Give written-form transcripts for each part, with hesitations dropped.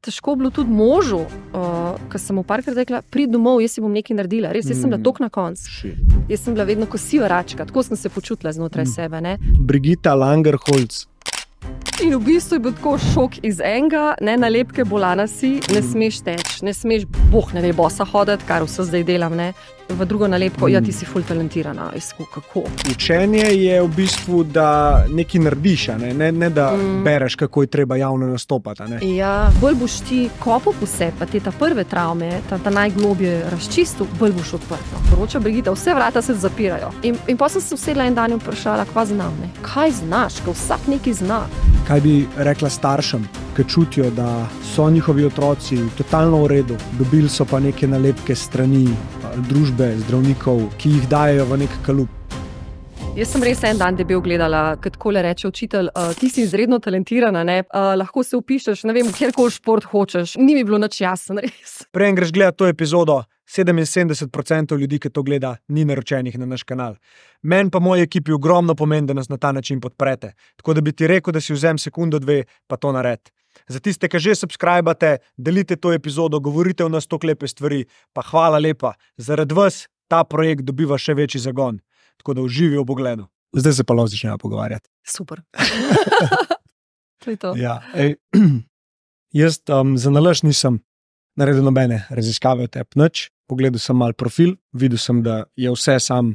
težko bilo tudi možu, ko sem mu parkrat rekla, pridi domov, jaz si bom nekaj naredila. Res, jaz sem bila tok na koncu. Jaz sem bila vedno kosiva račka, tako sem se počutila znotraj sebe. Ne? Brigitta Langerholz. In v bistvu je bil tako šok iz enega, ne, nalepke bolana si, ne smeš teč, ne smeš, boh ne ve, bosa hoditi, kar vse zdaj delam, ne. V drugo nalepko, ja, ti si ful talentirana, kako. Učenje je v bistvu, da nekaj narediš, ne da bereš, kako je treba javno nastopati. Ne? Ja, bolj boš ti kopal po sebi, pa te ta prve travme, ta najglobje razčistil, bolj boš odprto. Poroča Brigitta, vse vrata se zapirajo. In potem sem se usedla en dan in vprašala, kva znam, ne? Kaj znaš, ko vsak nekaj zna. Kaj bi rekla staršem, ki čutijo, da so njihovi otroci totalno v redu, dobili so pa neke nalepke strani družbe, zdravnikov, ki jih dajejo v nek kalup? Jaz sem res en dan debel gledala, kot takole reče učitelj, ti si izredno talentirana, ne? Lahko se vpišeš, ne vem, kjerkoli šport hočeš. Ni mi bilo nič jasno, res. Prej greš gledati to epizodo, 77% ljudi, ki to gleda, ni naročenih na naš kanal. Meni pa moji ekipi ogromno pomeni, da nas na ta način podprete. Tako da bi ti rekel, da si vzem sekundo, dve, pa to naredi. Za tiste, ki že subscribate, delite to epizodo, govorite v nas toliko lepe stvari, pa hvala lepa. Zaradi vas ta projekt dobiva še večji zagon. Tako da uživi v pogledu. Zdaj se pa lahko začnemo pogovarjati. Super. To je to. Ja, jaz za nalašč nisem naredil nobene raziskave o tebi nič. Pogledal sem malo profil, videl sem, da je vse sam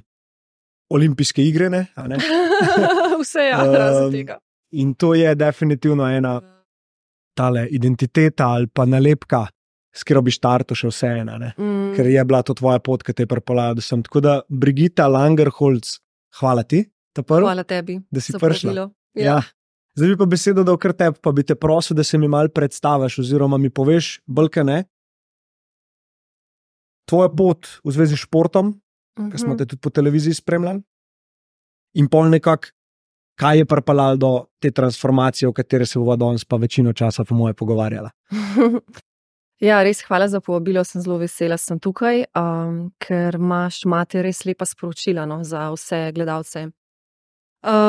olimpijske igre, ne? Vse je razen tega. In to je definitivno ena tale identiteta ali pa nalepka, s katero bi štartal še vseeno, ker je bila to tvoja pot, ki te je pripeljala do sem. Tako da, Brigitta Langerholz, hvala ti, hvala tebi, da si prišla. Ja. Zdaj bi pa besedo dal kar tebi, pa bi te prosil, da se mi malo predstaviš oziroma mi poveš, bolj kaj ne, tvoja pot v zvezi s športom, ker smo te tudi po televiziji spremljali, in pol nekako, kaj je pripeljalo do te transformacije, o kateri se bova danes pa večino časa po moje pogovarjala. Ja, res hvala za povabilo, sem zelo vesela, sem tukaj, ker imate res lepa sporočila za vse gledalce.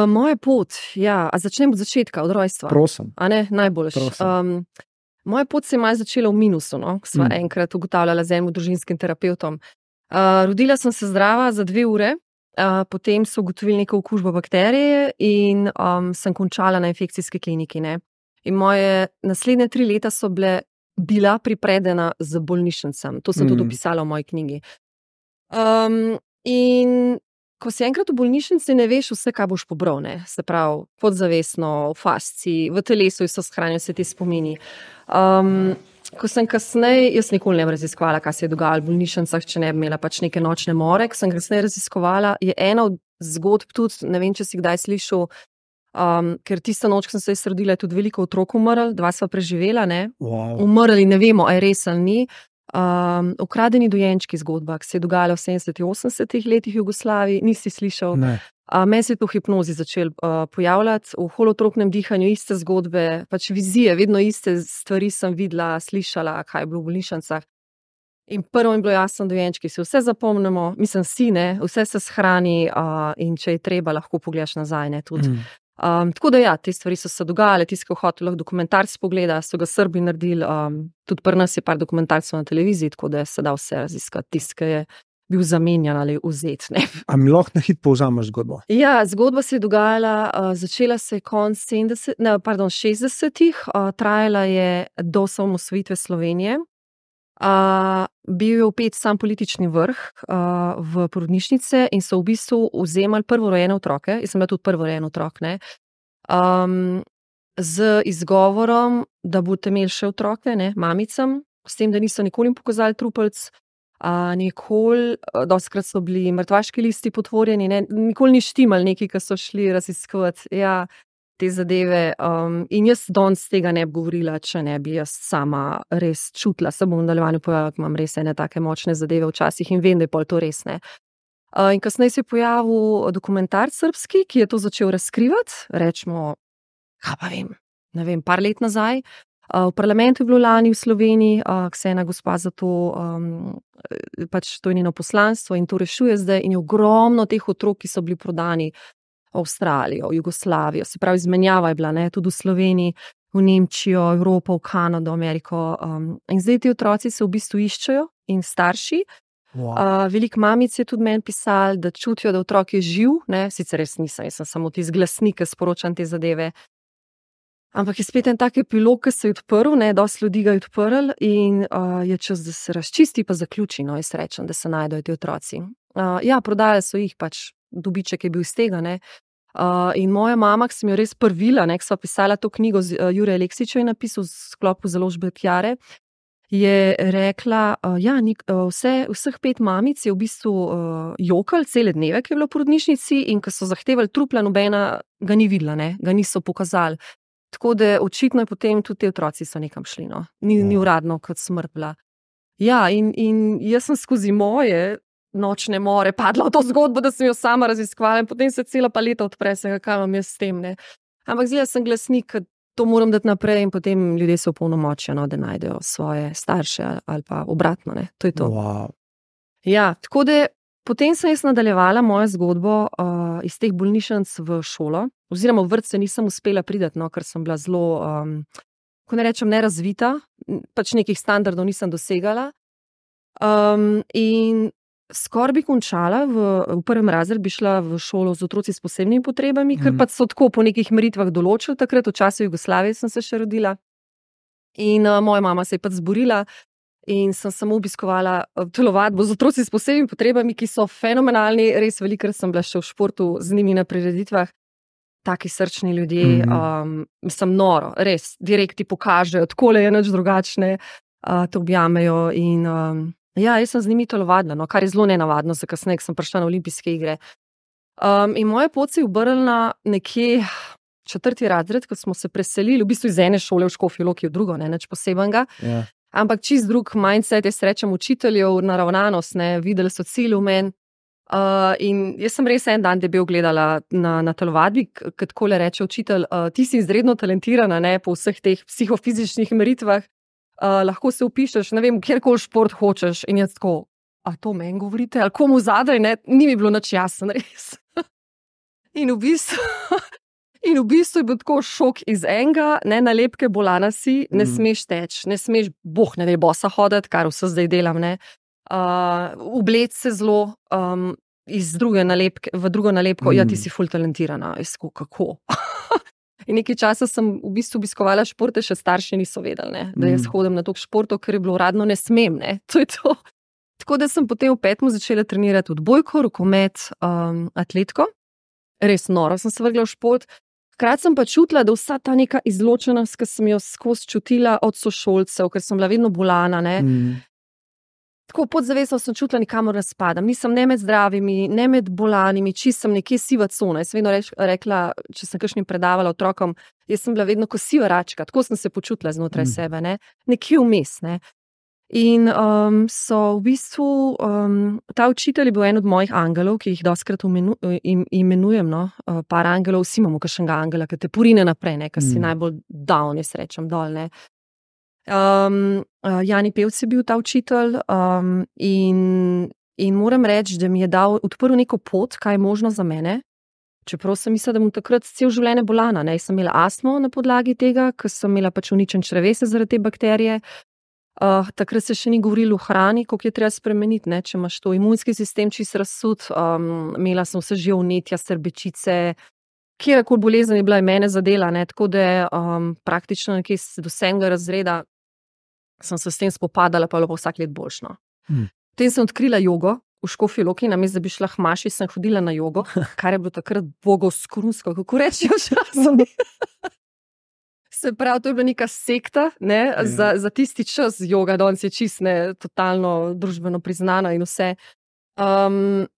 Moja pot, ja, a začnem od začetka, od rojstva. Prosim. A ne, najboljš. Moja pot se je malo začela v minusu, ko sva enkrat ugotavljala z enim družinskim terapevtom. Rodila sem se zdrava za 2 ure, potem so ugotovili neko okužbo bakterije in sem končala na infekcijski kliniki. Ne? In moje naslednje 3 leta so bila pripredena z bolnišnicam. To sem tudi opisala v moji knjigi. In ko si enkrat v bolnišnici, ne veš vse, kaj boš pobral. Ne? Se pravi, podzavestno, v fasciji, v telesu so shranjeni vse ti spomini. Ko sem kasneje, jaz nikoli ne bi raziskovala, kaj se je dogajalo v bolnišnicah, če ne bi imela pač neke nočne more, ko sem kasneje raziskovala, je ena od zgodb tudi, ne vem, če si kdaj slišal, ker tista noč, ko sem se rodila, je tudi veliko otrok umrl, 2 sva preživela, ne? Wow. Umrli, ne vemo, a je res ali ni. Ukradeni dojenčki zgodba, ki se je dogajala v 70-80 letih v Jugoslaviji, nisi slišal. Ne. Meni se je to v hipnozi začel pojavljati, v holotropnem dihanju iste zgodbe, pač vizije, vedno iste stvari sem videla, slišala, kaj je bilo v bolnišnicah. In prvo mi je bilo jasno, dojenčki si vse zapomnimo, mislim si, ne, vse se shrani in če je treba, lahko pogledaš nazaj, ne, tudi. Tako da ja, te stvari so se dogajale, tisti, ki hotel lahko dokumentarc pogleda, so ga Srbi naredili, tudi pri nas je par dokumentarcev na televiziji, tako da se da vse raziskati, tisti, ki je bil zamenjan ali vzet. Ne. A mi lahko na hit povzameš zgodbo? Ja, zgodba se je dogajala, začela se je konec 60-ih, trajala je do osamosvojitve Slovenije. Bil je vpet sam politični vrh v porodnišnice in so v bistvu vzemali prvorojene otroke, jaz sem bila tudi prvorojeni otrok, ne, z izgovorom, da boste imeli še otroke, ne, mamicam, s tem, da niso nikoli pokazali trupelc, nikoli, dostikrat so bili mrtvaški listi potvorjeni, ne, nikoli ni štimal neki, ki so šli raziskovati, ja, te zadeve, in jaz danes tega ne bi govorila, če ne bi jaz sama res čutila, se bom v nadaljevanju povedala, imam res ene take močne zadeve včasih in vem, da je pol to res, ne. In kasneje se je pojavil dokumentarc srbski, ki je to začel razkrivati, rečemo, kaj pa vem, ne vem, par let nazaj. V parlamentu je bilo lani v Sloveniji, ki se je ena gospa za to, pač to je njeno poslanstvo in to rešuje zdaj in je ogromno teh otrok, ki so bili prodani v Avstralijo, v Jugoslavijo, se pravi, izmenjava je bila, ne, tudi v Sloveniji. v Nemčijo, Evropo, v Kanado, Ameriko. In zdaj ti otroci se v bistvu iščejo in starši. Veliko mamic je tudi meni pisalo, da čutijo, da otrok je živ, ne? Sicer res nisem, jaz sem samo tisti glasnik, ki sporočam te zadeve. Ampak je spet en tak epilog, ki se je odprl, dosti ljudi ga je odprl in je čas, da se razčisti pa zaključi, jaz rečem, da se najdejo ti otroci. Ja, prodajali so jih, pač dobiček je bil iz tega, ne. In moja mama, ki sem jo res prvila, ko sva pisala to knjigo, Jure Aleksić je napisal v sklopu založbe Chiare, je rekla, vseh 5 mamic je v bistvu jokal cele dneve, ki je bilo v porodnišnici, in ko so zahtevali trupla, nobena ga ni videla, ga niso pokazali. Tako da očitno je potem tudi te otroci so nekam šli, ni uradno kot smrt bila. Ja, in jaz sem skozi moje nočne more padla v to zgodbo, da sem jo sama raziskovala in potem se cela paleta odpre, kaj imam jaz s tem, Ampak zdaj sem glasnik, to moram dati naprej in potem ljudje se opolnomočijo, da najdejo svoje starše ali pa obratno, To je to. Wow. Ja, tako da potem sem jaz nadaljevala mojo zgodbo iz teh bolnišnic v šolo, oziroma v vrtce nisem uspela priti, ker sem bila zelo, ko ne rečem, nerazvita, pač nekih standardov nisem dosegala. In skoraj bi končala, v 1. razred bi šla v šolo z otroci s posebnimi potrebami, ker pač so tako po nekih meritvah določili, takrat v času Jugoslavije sem se še rodila. In moja mama se je pač zborila in sem samo obiskovala telovadbo z otroci s posebnimi potrebami, ki so fenomenalni, res velikokrat sem bila še v športu z njimi na prireditvah. Taki srčni ljudje, mislim, noro, res, direkt ti pokažejo, takole je nič drugačne, te objamejo in ja, jaz sem z njimi telovadila, kar je zelo nenavadno, za kasneje, sem prišla na olimpijske igre. In moja pot se je obrnila nekje 4. razred, ko smo se preselili, v bistvu iz ene šole v Škofjo Loki v drugo, nič posebenega. Ja. Ampak čist drug mindset, jaz rečem učiteljev, naravnanost, videli so cilj v meni. In jaz sem res en dan debel gledala na telovadbi, kot takole reče učitelj, ti si izredno talentirana, po vseh teh psihofizičnih meritvah, lahko se vpišeš, ne vem, kjerkoli šport hočeš. In jaz tako, a to meni govorite, ali komu zadaj, ni mi bilo nič jasno, res. In v bistvu je bil tako šok iz enega, nalepke bolana si, ne smeš teči, ne smeš, ne daj bosa hoditi, kar vse zdaj delam, Obleč se zelo, iz druge nalepke, v drugo nalepko, ja, ti si ful talentirana, jaz tako, kako? In nekaj časa sem v bistvu obiskovala športe, še starši niso vedeli, da jaz hodim na toliko športov, ker je bilo uradno ne smem, to je to. Tako da sem potem v 5. začela trenirati odbojko, rokomet, atletiko. Res noro sem se vrgla v šport. Hkrati sem pa čutila, da vsa ta neka izločenost, ki sem jo skozi čutila od sošolcev, ker sem bila vedno bolana, Tako podzavestno sem čutila, nikamor ne spadam. Nisem ne med zdravimi, ne med bolanimi, čisto sem nekje siva cona. Jaz vedno rekla, če sem kakšnim predavala otrokom, jaz sem bila vedno kot siva račka, tako sem se počutila znotraj sebe, nekje vmes, In so v bistvu, ta učitelj je bil en od mojih angelov, ki jih dostikrat imenujem, par angelov, vsi imamo kakšnega angela, ki te porine naprej, ki si najbolj down, jaz rečem, dol, Jani Pevc je bil ta učitelj in moram reči, da mi je odprl neko pot, kaj je možno za mene, čeprav sem mislila, da bom takrat cel življenje bolana, Jaz sem imela astmo na podlagi tega, ker sem imela pač uničen črevesje zaradi te bakterije. Takrat se še ni govorilo o hrani, koliko je treba spremeniti, če imaš to imunski sistem čist razsut, imela sem vse že vnetja, srbečice, kjerkoli bolezen je bila mene zadela, tako da praktično nekje do 7. razreda sem se s tem spopadala, pa je bilo vsak let boljšno. Potem sem odkrila jogo v Škofji Loki, namesto da bi šla k maši, sem hodila na jogo, kar je bilo takrat bogoskrunsko, kako rečijo časom. Se pravi, to je bila neka sekta, za tisti čas joga, danes je čist totalno družbeno priznana in vse.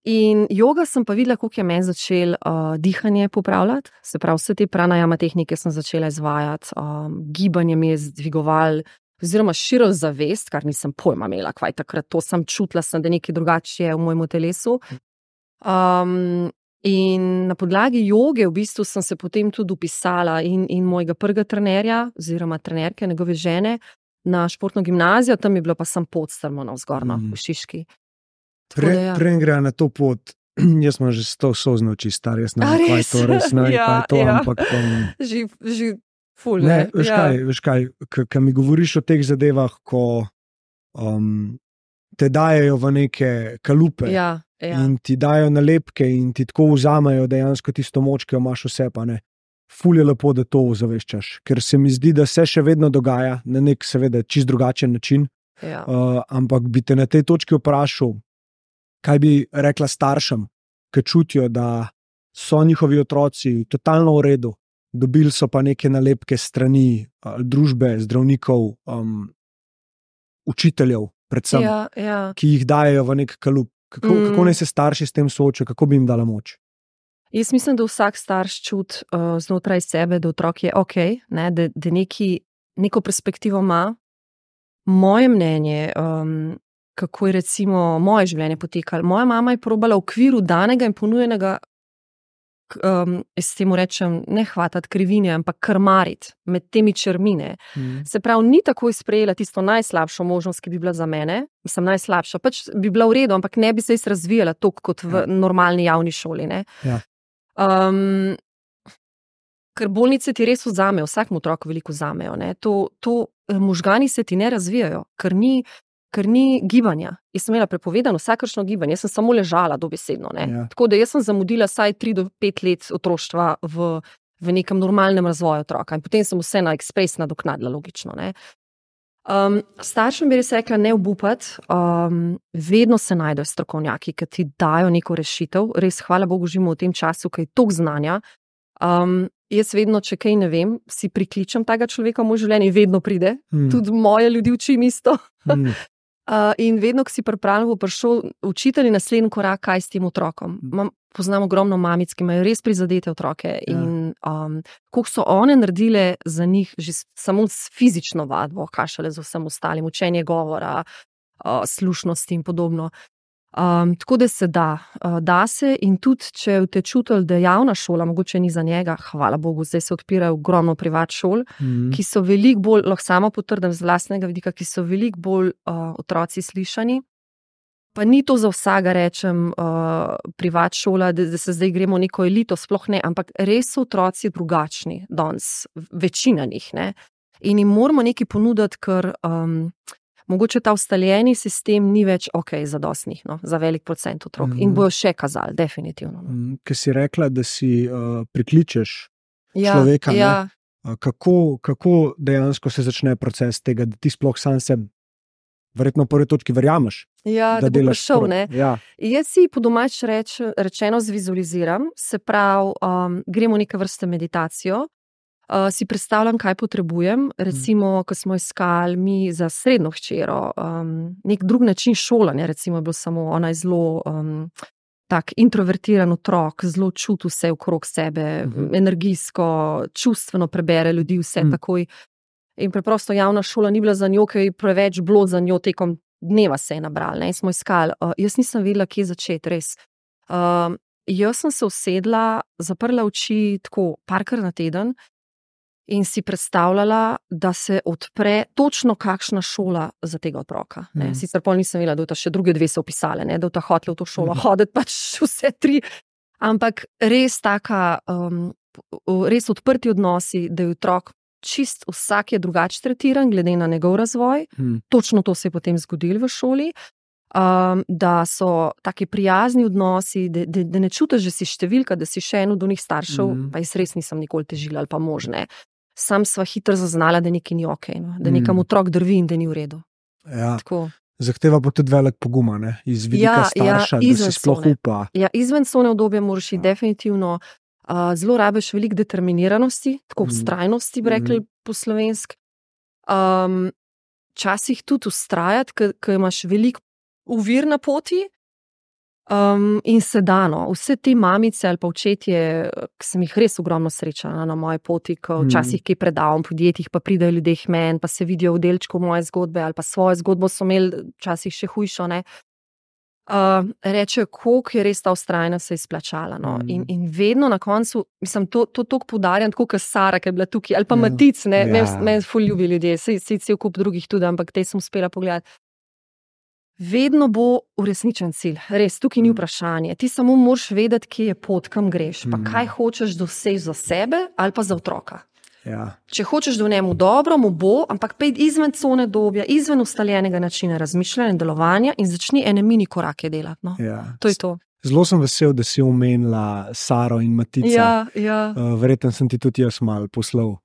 In joga sem pa videla, koliko je meni začel dihanje popravljati, se pravi, vse te pranajama tehnike sem začela izvajati, gibanje mi je zdvigoval, oziroma širil zavest, kar nisem pojma imela, kvaj takrat to sem čutila, da nekaj drugače je v mojem telesu. In na podlagi joge v bistvu sem se potem tudi upisala in mojega prvega trenerja, oziroma trenerke, njegove žene, na športno gimnazijo, tam je bilo pa sem podstrmo navzgorno v Šiški. Preden gre na to pot, jaz sem že 100 sozno oči star, jaz ne vem, kaj je to res, kaj je to, ampak... Že Ful, Ne, veš kaj, ko mi govoriš o teh zadevah, ko te dajejo v neke kalupe in ti dajo nalepke in ti tako vzamejo dejansko tisto moč, ki jo imaš vse, pa ne. Ful je lepo, da to ozaveščaš, ker se mi zdi, da se še vedno dogaja na nek seveda čist drugačen način, ampak bi te na tej točki vprašal, kaj bi rekla staršem, ki čutijo, da so njihovi otroci totalno v redu, dobili so pa neke nalepke strani družbe, zdravnikov, učiteljev, predvsem, ki jih dajejo v nek kalup. Kako naj se starši s tem soočajo, kako bi jim dala moč? Jaz mislim, da vsak starš čuti znotraj sebe, da otrok je okej, da neko perspektivo ima. Moje mnenje, kako je recimo moje življenje potekalo. Moja mama je probala v okviru danega in ponujenega, jaz temu rečem, ne hvatati krivine, ampak krmariti med temi črmine. Se pravi, ni takoj sprejela tisto najslabšo možnost, ki bi bila za mene. Mislim, najslabša. Pač bi bila v redu, ampak ne bi se razvijala toliko kot v normalni javni šoli. Ker bolnice ti res vzamejo, vsakmu otroku veliko vzamejo. Možgani se ti ne razvijajo, ker ni gibanja. Jaz sem imela prepovedano vsakršno gibanje, jaz sem samo ležala dobesedno. Tako da jaz sem zamudila vsaj 3 do 5 let otroštva v nekem normalnem razvoju otroka in potem sem vse na ekspres nadoknadila, logično. Staršem bi res rekla, ne obupati, vedno se najdejo strokovnjaki, ki ti dajo neko rešitev. Res, hvala Bogu, živimo v tem času, ki je toliko znanja. Jaz vedno, če kaj ne vem, si prikličem tega človeka v moj življenje in vedno pride. Tudi moje ljudi učim isto. In vedno, ko si pripravljen, bo prišel učitelj in naslednji korak, kaj s tem otrokom. Poznam ogromno mamic, ki imajo res prizadete otroke in koliko so one naredile za njih že samo s fizično vadbo, kaj šele z vsem ostalim, učenje govora, slušnosti in podobno. Tako da se da se in tudi, če te čutili, da javna šola mogoče ni za njega, hvala Bogu, zdaj se odpirajo ogromno privat šol, ki so veliko bolj, lahko sama potrdim z vlastnega vidika, ki so veliko bolj otroci slišani. Pa ni to za vsega, rečem, privat šola, da se zdaj gremo neko elito, sploh ne, ampak res so otroci drugačni danes, večina njih, ne. In jim moramo nekaj ponuditi, ker mogoče ta ustaljeni sistem ni več zadostnih, za velik procent otrok. In bojo še kazali, definitivno. Ker si rekla, da si prikličeš človeka, kako dejansko se začne proces tega, da ti sploh sam se verjetno v prvi točki verjameš? Da bo prišel, ne. Jaz si po domač rečeno zvizualiziram, se pravi, gremo neke vrste meditacijo, si predstavljam, kaj potrebujem, recimo, ko smo iskali mi za srednjo hčero, nek drug način šolanja, recimo je bilo samo, ona je zelo tak introvertiran otrok, zelo čuti vse okrog sebe, energijsko, čustveno prebere ljudi vse takoj. In preprosto javna šola ni bila za njo, ker je preveč bilo za njo tekom dneva se je nabral, in smo iskali. Jaz nisem vedela, kje začeti, res. Jaz sem se usedla, zaprla oči tako parkrat na teden, in si predstavljala, da se odpre točno kakšna šola za tega otroka. Sicer pol nisem vedela, da ta še druge 2 so opisale, da ta hotela v to šolo hoditi, pač vse 3. Ampak res taka, res odprti odnosi, da je otrok čist vsak je drugače tretiran, glede na njegov razvoj. Točno to se je potem zgodilo v šoli. Da so taki prijazni odnosi, da ne čutiš, da si številka, da si še eno od njih staršev, pa jaz res nisem nikoli težila ali pa možne. Sam sva hitro zaznala, da nekaj ni okej, da nekam otrok drvi in da ni v redu. Zahteva pa tudi velik poguma, iz vidika starša, da si sploh upa. Izven cone udobja moraš iti definitivno. Zelo rabiš veliko determiniranosti, tako vztrajnosti, bi rekli po slovensk. Včasih tudi vztrajati, ker imaš veliko ovir na poti, in se dano. Vse te mamice ali pa očetje, ki sem jih res ogromno srečala na moji poti, ko včasih kaj predavam v podjetjih, pa pridejo ljudje k meni, pa se vidijo v delčku moje zgodbe ali pa svojo zgodbo so imeli včasih še hujšo, rečejo, koliko je res ta vztrajnost se izplačala. In vedno na koncu, mislim, to toliko poudarjam, tako kot Sara, ki je bila tukaj, ali pa Matic, me ful ljubi ljudje, saj cel kup drugih tudi, ampak te sem uspela pogledati. Vedno bo uresničen cilj, res, tukaj ni vprašanje. Ti samo moraš vedeti, kje je pot, kam greš, pa kaj hočeš doseči za sebe ali pa za otroka. Ja. Če hočeš, da v njemu dobro, mu bo, ampak pejdi izven cone dobja, izven ustaljenega načina razmišljanja in delovanja in začni ene mini korake delati. No. Ja. To je to. Zelo sem vesel, da si omenila Saro in Matica. Verjetno sem ti tudi jaz malo poslal.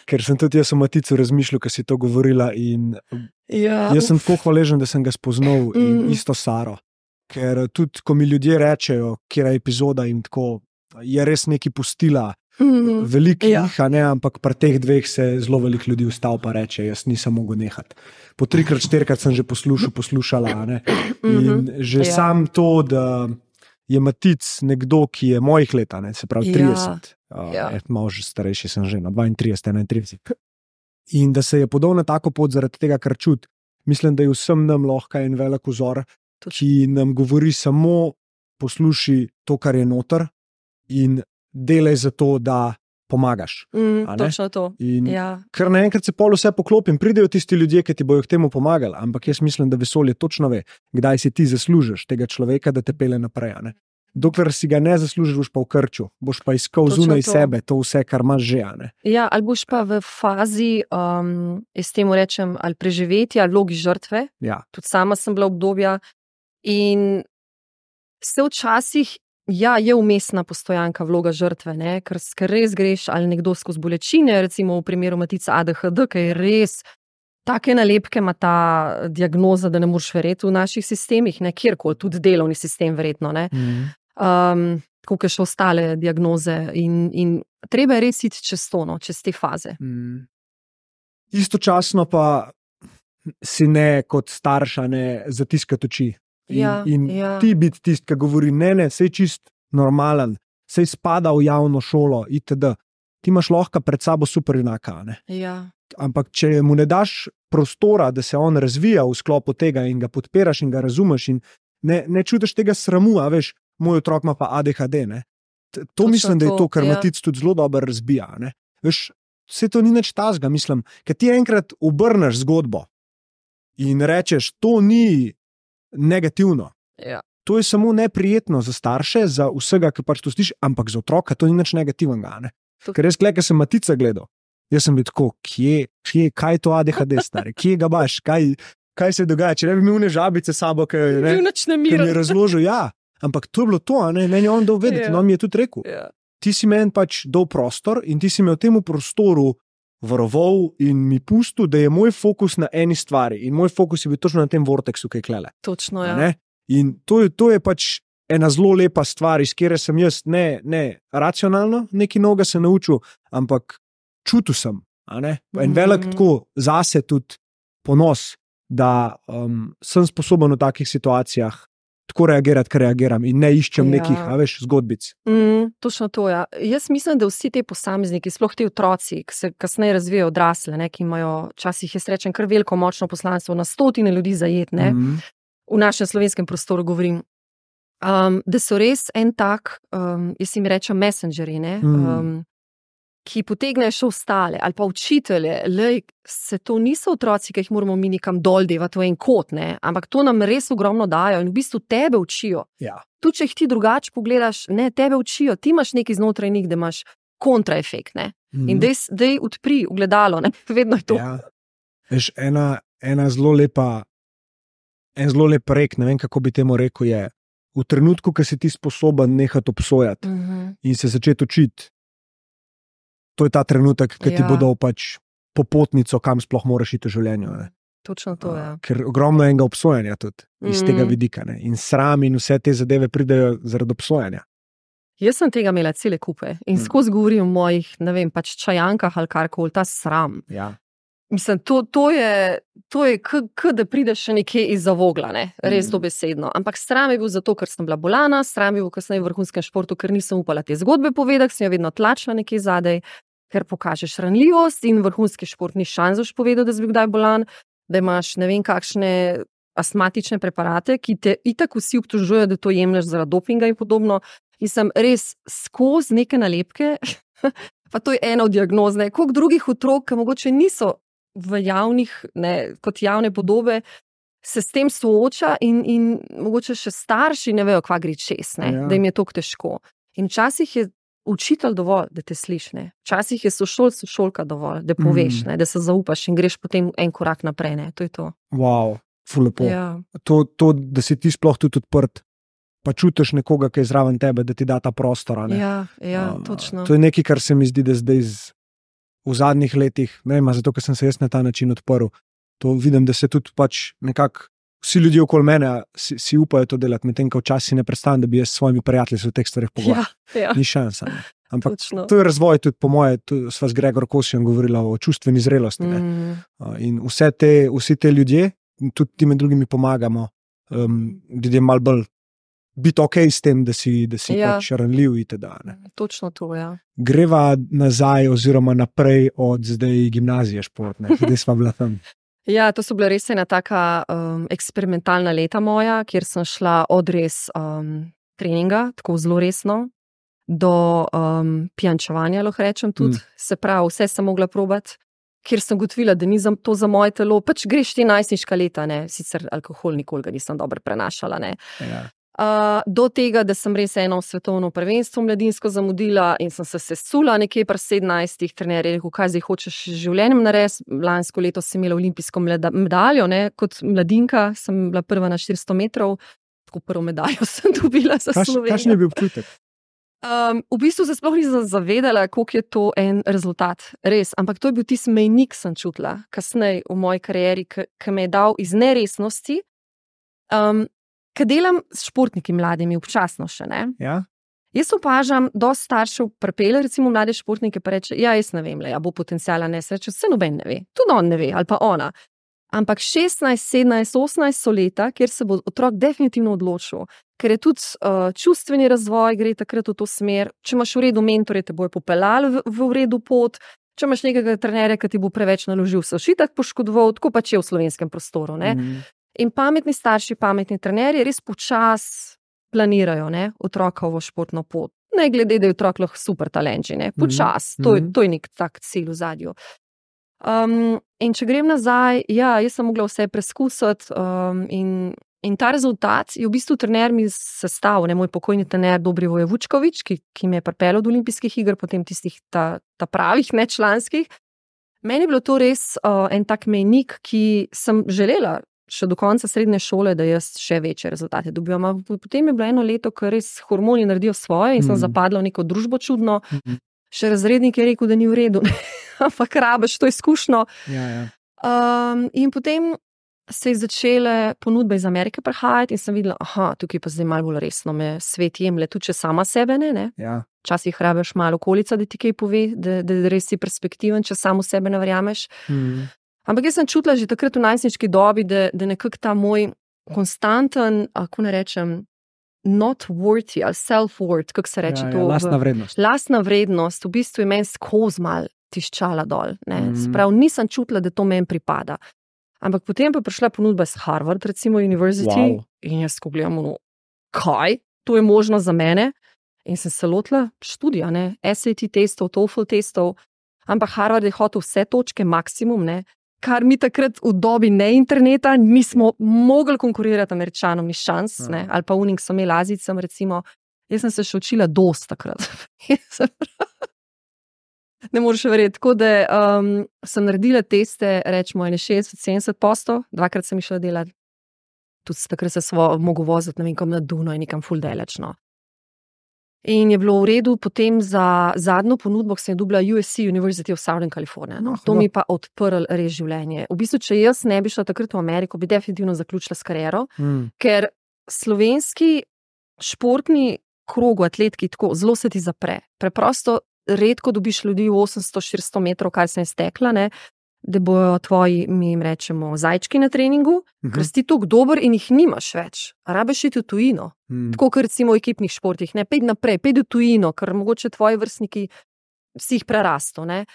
Ker sem tudi jaz o Maticu razmišljal, ko si to govorila. Jaz sem tako hvaležen, da sem ga spoznal in isto Saro. Ker tudi, ko mi ljudje rečejo, kjer je epizoda in tako, je res nekaj pustila. Veliko jih, ampak pri teh dveh se zelo veliko ljudi ustav pa reče, jaz nisem mogel nehati. Po 3-krat, 4-krat sem že poslušala. In že sam to, da je Matic nekdo, ki je mojih let, se pravi 30, malo že starejši sem že, 32, 31. In da se je podal na tako pot zaradi tega, kar čuti. Mislim, da je vsem nam lahko en velik vzor, ki nam govori samo posluši to, kar je noter in delaj za to, da pomagaš. Točno to. Ker naenkrat se pol vse poklopim, pridejo tisti ljudje, ki ti bojo k temu pomagali, ampak jaz mislim, da vesolje točno ve, kdaj si ti zaslužiš tega človeka, da te pele naprej. Dokler si ga ne zaslužiš, boš pa v krču, boš pa iskal zunaj sebe to vse, kar imaš že. Ali boš pa v fazi, jaz temu rečem, ali preživetja, ali vlogi žrtve. Tudi sama sem bila obdobja in se včasih je umestna postojanka vloga žrtve, ker res greš ali nekdo skozi bolečine, recimo v primeru Matica ADHD, ki je res take nalepke ima ta diagnoza, da ne moreš verjeti v naših sistemih, kjerkoli, tudi delovni sistem verjetno, tako kot še ostale diagnoze in treba je res iti čez to, čez te faze. Istočasno pa si ne kot starša ne zatiskati oči. Ti biti tisti, ki govori, ne, sej čist normalen, sej spada v javno šolo, itd. Ti imaš lahko pred sabo super junaka. Ampak če mu ne daš prostora, da se on razvija v sklopu tega in ga podpiraš in ga razumeš in ne čutiš tega sramu, a veš, moj otrok ima pa ADHD. To mislim, da je to, kar Matic tudi zelo dobro razbija. Veš, vse to ni nič tazga, mislim, ker ti enkrat obrneš zgodbo in rečeš, to ni negativno. To je samo neprijetno za starše, za vsega, ki pač to sliši, ampak za otroka to ni nič negativnega. Ker jaz gleda, ker sem Matica gledal, jaz sem bil tako, kaj je to ADHD, stari, kje ga baš, kaj se dogaja, če ne bi imel ne žabice sabo, ki mi je razložil, ampak to je bilo to, meni je on dal vedeti, on mi je tudi rekel, ti si meni pač dal prostor in ti si me v temu prostoru varoval in mi pustil, da je moj fokus na eni stvari in moj fokus je bil točno na tem vorteksu, ki je klele. Točno, In to je pač ena zelo lepa stvar, iz kjer sem jaz ne racionalno nekaj novega se naučil, ampak čutil sem. En velik tako zase tudi ponos, da sem sposoben v takih situacijah tako reagirati, kar reagiram in ne iščem nekih, zgodbic. Točno to, Jaz mislim, da vsi te posamezniki, sploh ti otroci, ki se kasneje razvijajo odrasle, ki imajo včasih, jaz rečem, kar veliko močno poslanstvo, na stotine ljudi zajetne, v našem slovenskem prostoru govorim, da so res en tak, jaz jim rečem messengerji, ki potegnejo še ostale, ali pa učitelje, se to niso otroci, ki jih moramo mi nekam dol devati v en kot, ampak to nam res ogromno dajo in v bistvu tebe učijo. Tudi če jih ti drugače pogledaš, tebe učijo, ti imaš nekaj znotraj njih, da imaš kontraefekt, in dej odpri ogledalo, vedno je to. Veš, ena zelo lepa, en zelo lep rek, ne vem, kako bi temu rekel, je v trenutku, ko si ti sposoben nehati obsojati in se začeti učiti. To je ta trenutek, ki ti bo dal pač popotnico, kam sploh moraš iti v življenju. Točno to, Ker ogromno enega obsojanja tudi iz tega vidika. In sram in vse te zadeve pridejo zaradi obsojanja. Jaz sem tega imela cele kupe in skozi govorim o mojih, ne vem, pač čajankah ali karkoli, ta sram. Mislim, to je da prideš še nekje iz zavogla, res dobesedno. Ampak sram je bil zato, ker sem bila bolana, sram je bil kasneje v vrhunskem športu, ker nisem upala te zgodbe povedati, sem jo vedno tlačila nekje zadaj, ker pokažeš ranljivost in vrhunski šport ni šanzoš povedal, da si bil kdaj bolan, da imaš ne vem kakšne astmatične preparate, ki te itak vsi obtožujejo, da to jemlješ zaradi dopinga in podobno. In sem res skozi neke nalepke, pa to je ena od diagnoz, koliko drugih otrok, ki mogoče niso v javnih, kot javne podobe, se s tem sooča in mogoče še starši ne vejo, kva gre čez, da jim je toliko težko. In včasih je učitelj dovolj, da te sliši, ne. Včasih je sošolka dovolj, da poveš, ne, da se zaupaš in greš potem en korak naprej, ne. To je to. Wow, ful lepo. Ja. To, da si ti sploh tudi odprt, pa čutiš nekoga, ki je zraven tebe, da ti da ta prostor, ne. Ja, točno. To je nekaj, kar se mi zdi, da zdaj v zadnjih letih, ne vem, zato, ker sem se jaz na ta način odprl, to vidim, da se tudi pač nekako vsi ljudje okoli mene si upajo to delati, medtem ko včasih ne predstavljam, da bi jaz s svojimi prijatelji se v teh stvareh pogovarjal. Ja. Ni šansa. Ne. Ampak Točno. to je razvoj tudi po moje, sva z Gregor Kosijem govorila o čustveni zrelosti. Ne. In vsi te ljudje, tudi ti med drugimi pomagamo, ljudje malo bolj biti ok s tem, da si pač ranljiv itd. Točno to, ja. Greva nazaj oziroma naprej od zdaj gimnazije športne, zdaj sva bila tam. Ja, to so bila res ena taka eksperimentalna leta moja, kjer sem šla od res treninga, tako zelo resno, do pijančevanja, lahko rečem tudi. Se pravi, vse sem mogla probati, kjer sem ugotovila, da ni to za moje telo, pač greš ti najstniška leta, ne, sicer alkohol nikoli ga nisem dobro prenašala, ne. Ja. Do tega, da sem res eno svetovno prvenstvo mladinsko zamudila in sem se sesula nekje pri 17 trenerji, rekel, kaj zdaj hočeš z življenjem narediti. Lansko leto sem imela olimpijsko medaljo, ne, kot mladinka, sem bila prva na 400 metrov, tako prvo medaljo sem dobila za Slovenijo. Kakšen je bil občutek? V bistvu se sploh nisem zavedala, koliko je to en rezultat, res, ampak to je bil tisti mejnik, sem čutila kasneje v moji karieri, ki me je dal iz neresnosti. Ker delam s športniki mladimi, občasno še, ne. Ja. Jaz opažam, dosti staršev pripelje, recimo mlade športnike, pa reče, ja, jaz ne vem, ja, bo potenciala, ne, se reče, vse noben ne ve, tudi on ne ve, ali pa ona. Ampak 16, 17, 18 so leta, kjer se bo otrok definitivno odločil, ker je tudi čustveni razvoj, gre takrat v to smer, če imaš v redu mentorje, te bojo popeljali v redu pot, če imaš nekega trenerja, ki ti bo preveč naložil, se šitak poškodoval, tako pač je v slovenskem prostoru, ne. In pametni starši, pametni trenerji res počas planirajo, ne, otrokovo športno pot. Ne glede, da je otrok lahko super talent, ne, počas. To je nek tak cilj v zadju. In če grem nazaj, ja, jaz sem mogla vse preskusiti in ta rezultat je v bistvu trener mi sestavil, ne, moj pokojni trener Dobrivoje Vučkovič, ki me je pripeljal do olimpijskih iger, potem tistih ta pravih, ne članskih. Meni je bilo to res en tak mejnik, ki sem želela še do konca srednje šole, da jaz še večje rezultate dobivam. Potem je bilo eno leto, ko res hormoni naredijo svoje in sem zapadla v neko družbo čudno. Še razrednik je rekel, da ni v redu, ampak rabiš to izkušnjo. Ja. In potem se je začele ponudbe iz Amerike prihajati in sem videla, tukaj pa zdaj malo bolj resno me svet jemlje, tudi če sama sebe ne. Ja. Včasih rabiš malo okolica, da ti kaj pove, da res si perspektiven, če samo sebe ne verjameš. Ampak jaz sem čutila že takrat v najstniški dobi, da nekako ta moj konstanten, kako ne rečem, not worthy ali self-worth, kako se reče to? Lastna vrednost. Lastna vrednost, v bistvu je meni skozi mal tiščala dol. Sprav nisem čutila, da to meni pripada. Ampak potem pa prišla ponudba z Harvard, recimo University, in jaz ko gledam, kaj? To je možno za mene? In sem se lotila študija, ne? SAT testov, TOEFL testov, ampak Harvard je hotel vse točke, maksimum, ne? Kar mi takrat v dobi ne interneta nismo mogli konkurirati Američanom, ni šans, ne, ali pa unik so imeli Azijcem, recimo. Jaz sem se še učila dosti takrat. Ne moreš verjeti, tako da sem naredila teste, rečemo 60-70%, dvakrat sem išla delati. Tudi takrat se mogel voziti, ne vem, kam na Dunaj, nekam ful daleč, no. In je bilo v redu potem za zadnjo ponudbo, ki sem je dobila USC, University of Southern California. No. To mi pa odprl res življenje. V bistvu, če jaz ne bi šla takrat v Ameriko, bi definitivno zaključila s kariero, ker slovenski športni krog, atletki, tako zelo se ti zapre. Preprosto redko dobiš ljudi v 800-400 metrov, kar sem stekla, ne, da bojo tvoji, mi jim rečemo, zajčki na treningu, ker si toliko dober in jih nimaš več. Rabiš iti v tujino. Tako kot recimo v ekipnih športih, ne, pejdi naprej, pejdi v tujino, ker mogoče tvoji vrstniki si jih prerasto, ne.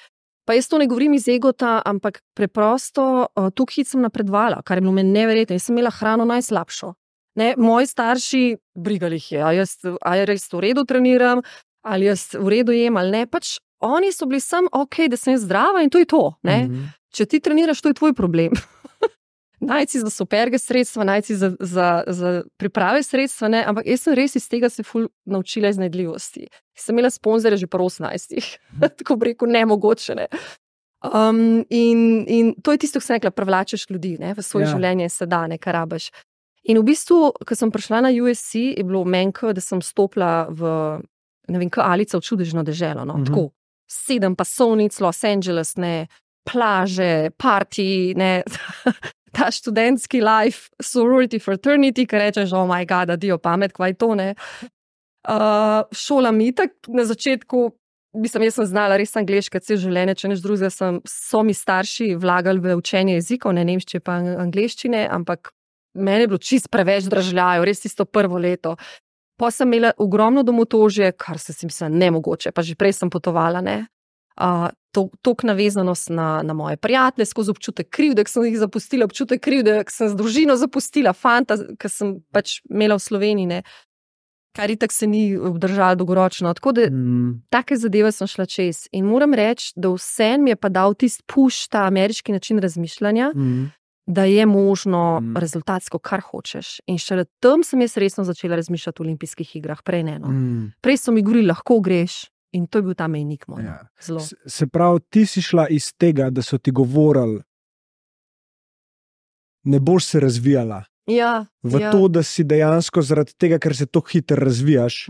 Pa jaz to ne govorim iz egota, ampak preprosto toliko hit sem napredvala, kar je bilo meni neverjetno. Jaz sem imela hrano najslabšo. Ne, moji starši, brigali jih je, a je res v redu treniram, ali jaz v redu jem, ali ne, pač oni so bili sam, da sem zdrava in to je to, ne. Če ti treniraš, to je tvoj problem. najci za superge sredstva, najci za priprave sredstva, ne? Ampak jaz sem res iz tega se ful naučila iznajdljivosti. Sem imela sponzorje že po 18, tako bi rekel, nemogoče, ne. In to je tisto, ko sem rekla, privlačeš ljudi, ne, v svoje življenje se da, ne, kar rabiš. In v bistvu, ko sem prišla na USC, je bilo menko, da sem stopila v, ne vem, Alica v čudežno deželo, no, tako, 7 pasovnic, Los Angeles, ne, plaže, party, ne, ta študentski life, sorority, fraternity, ki rečeš, oh my god, adijo pamet, kva je to, ne. Šola mi tak na začetku, jaz sem znala res angleško celo življenje, če nič drugega, so mi starši vlagali v učenje jezikov, ne nemščine pa angleščine, ampak meni je bilo čist preveč dražljajo, res tisto prvo leto. Pa sem imela ogromno domotožje, kar se si mislila nemogoče, pa že prej sem potovala, ne. Tok navezanost na moje prijatelje, skozi občutek krivde, ki sem jih zapustila, občutek krivde, ki sem z družino zapustila, fanta, ki sem pač imela v Sloveniji, ne. Kar itak se ni obdržalo dolgoročno. Tako da take zadeve sem šla čez. In moram reči, da vse mi je pa dal tisti push, ta ameriški način razmišljanja, da je možno rezultatsko, kar hočeš. In šele tam sem jaz resno začela razmišljati o olimpijskih igrah, prej ne. Prej so mi govorili, lahko greš, in to je bil ta mejnik moj. Zelo. Se pravi, ti si šla iz tega, da so ti govorili, ne boš se razvijala. To, da si dejansko zaradi tega, ker se tako hitro razvijaš,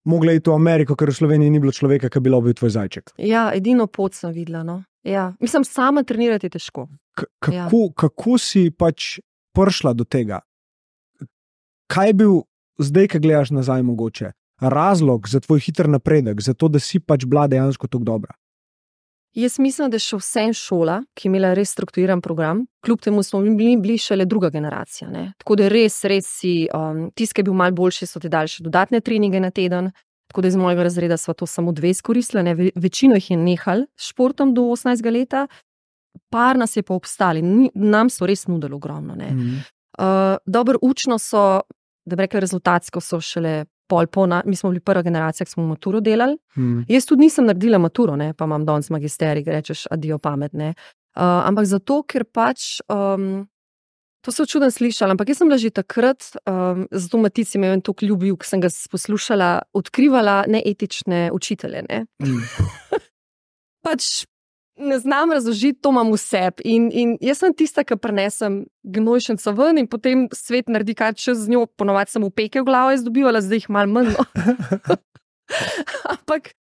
mogla iti v Ameriko, ker v Sloveniji ni bilo človeka, ki bi bil tvoj zajček. Ja, edino pot sem videla, no. Ja. Mislim, sama trenirati je težko. Kako si pač prišla do tega? Kaj je bil, zdaj, ko gledaš nazaj mogoče, razlog za tvoj hiter napredek, za to, da si pač bila dejansko tako dobra? Jaz mislim, da je še vsem šola, ki je imela res strukturiran program, kljub temu smo bili šele druga generacija, ne. Tako da res si, tisti, ki je bil malo boljši, so ti dali še dodatne treninge na teden, tako da iz mojega razreda sva to samo 2 izkoristila, ne. Večino jih je nehal s športom do 18 leta, par nas je pa obstali, nam so res nudili ogromno, ne. Dobro, učno so, da bi rekla, rezultatsko so šele mi smo bili prva generacija, ki smo maturo delali. Jaz tudi nisem naredila maturo, ne, pa imam danes magisterij, rečeš, adijo pamet, ne. Ampak zato, ker pač, to se čudno slišala, ampak jaz sem bila že takrat, zato Matici me je toliko ljubil, ko sem ga poslušala, odkrivala neetične učitelje, ne. Pač ne znam razložiti, to imam v sebi. In jaz sem tista, ki prinesem gnojšenco ven in potem svet naredi kaj čez z njo, ponovadi sem upeke v glavo izdobivala, zdaj jih malo manj. Ampak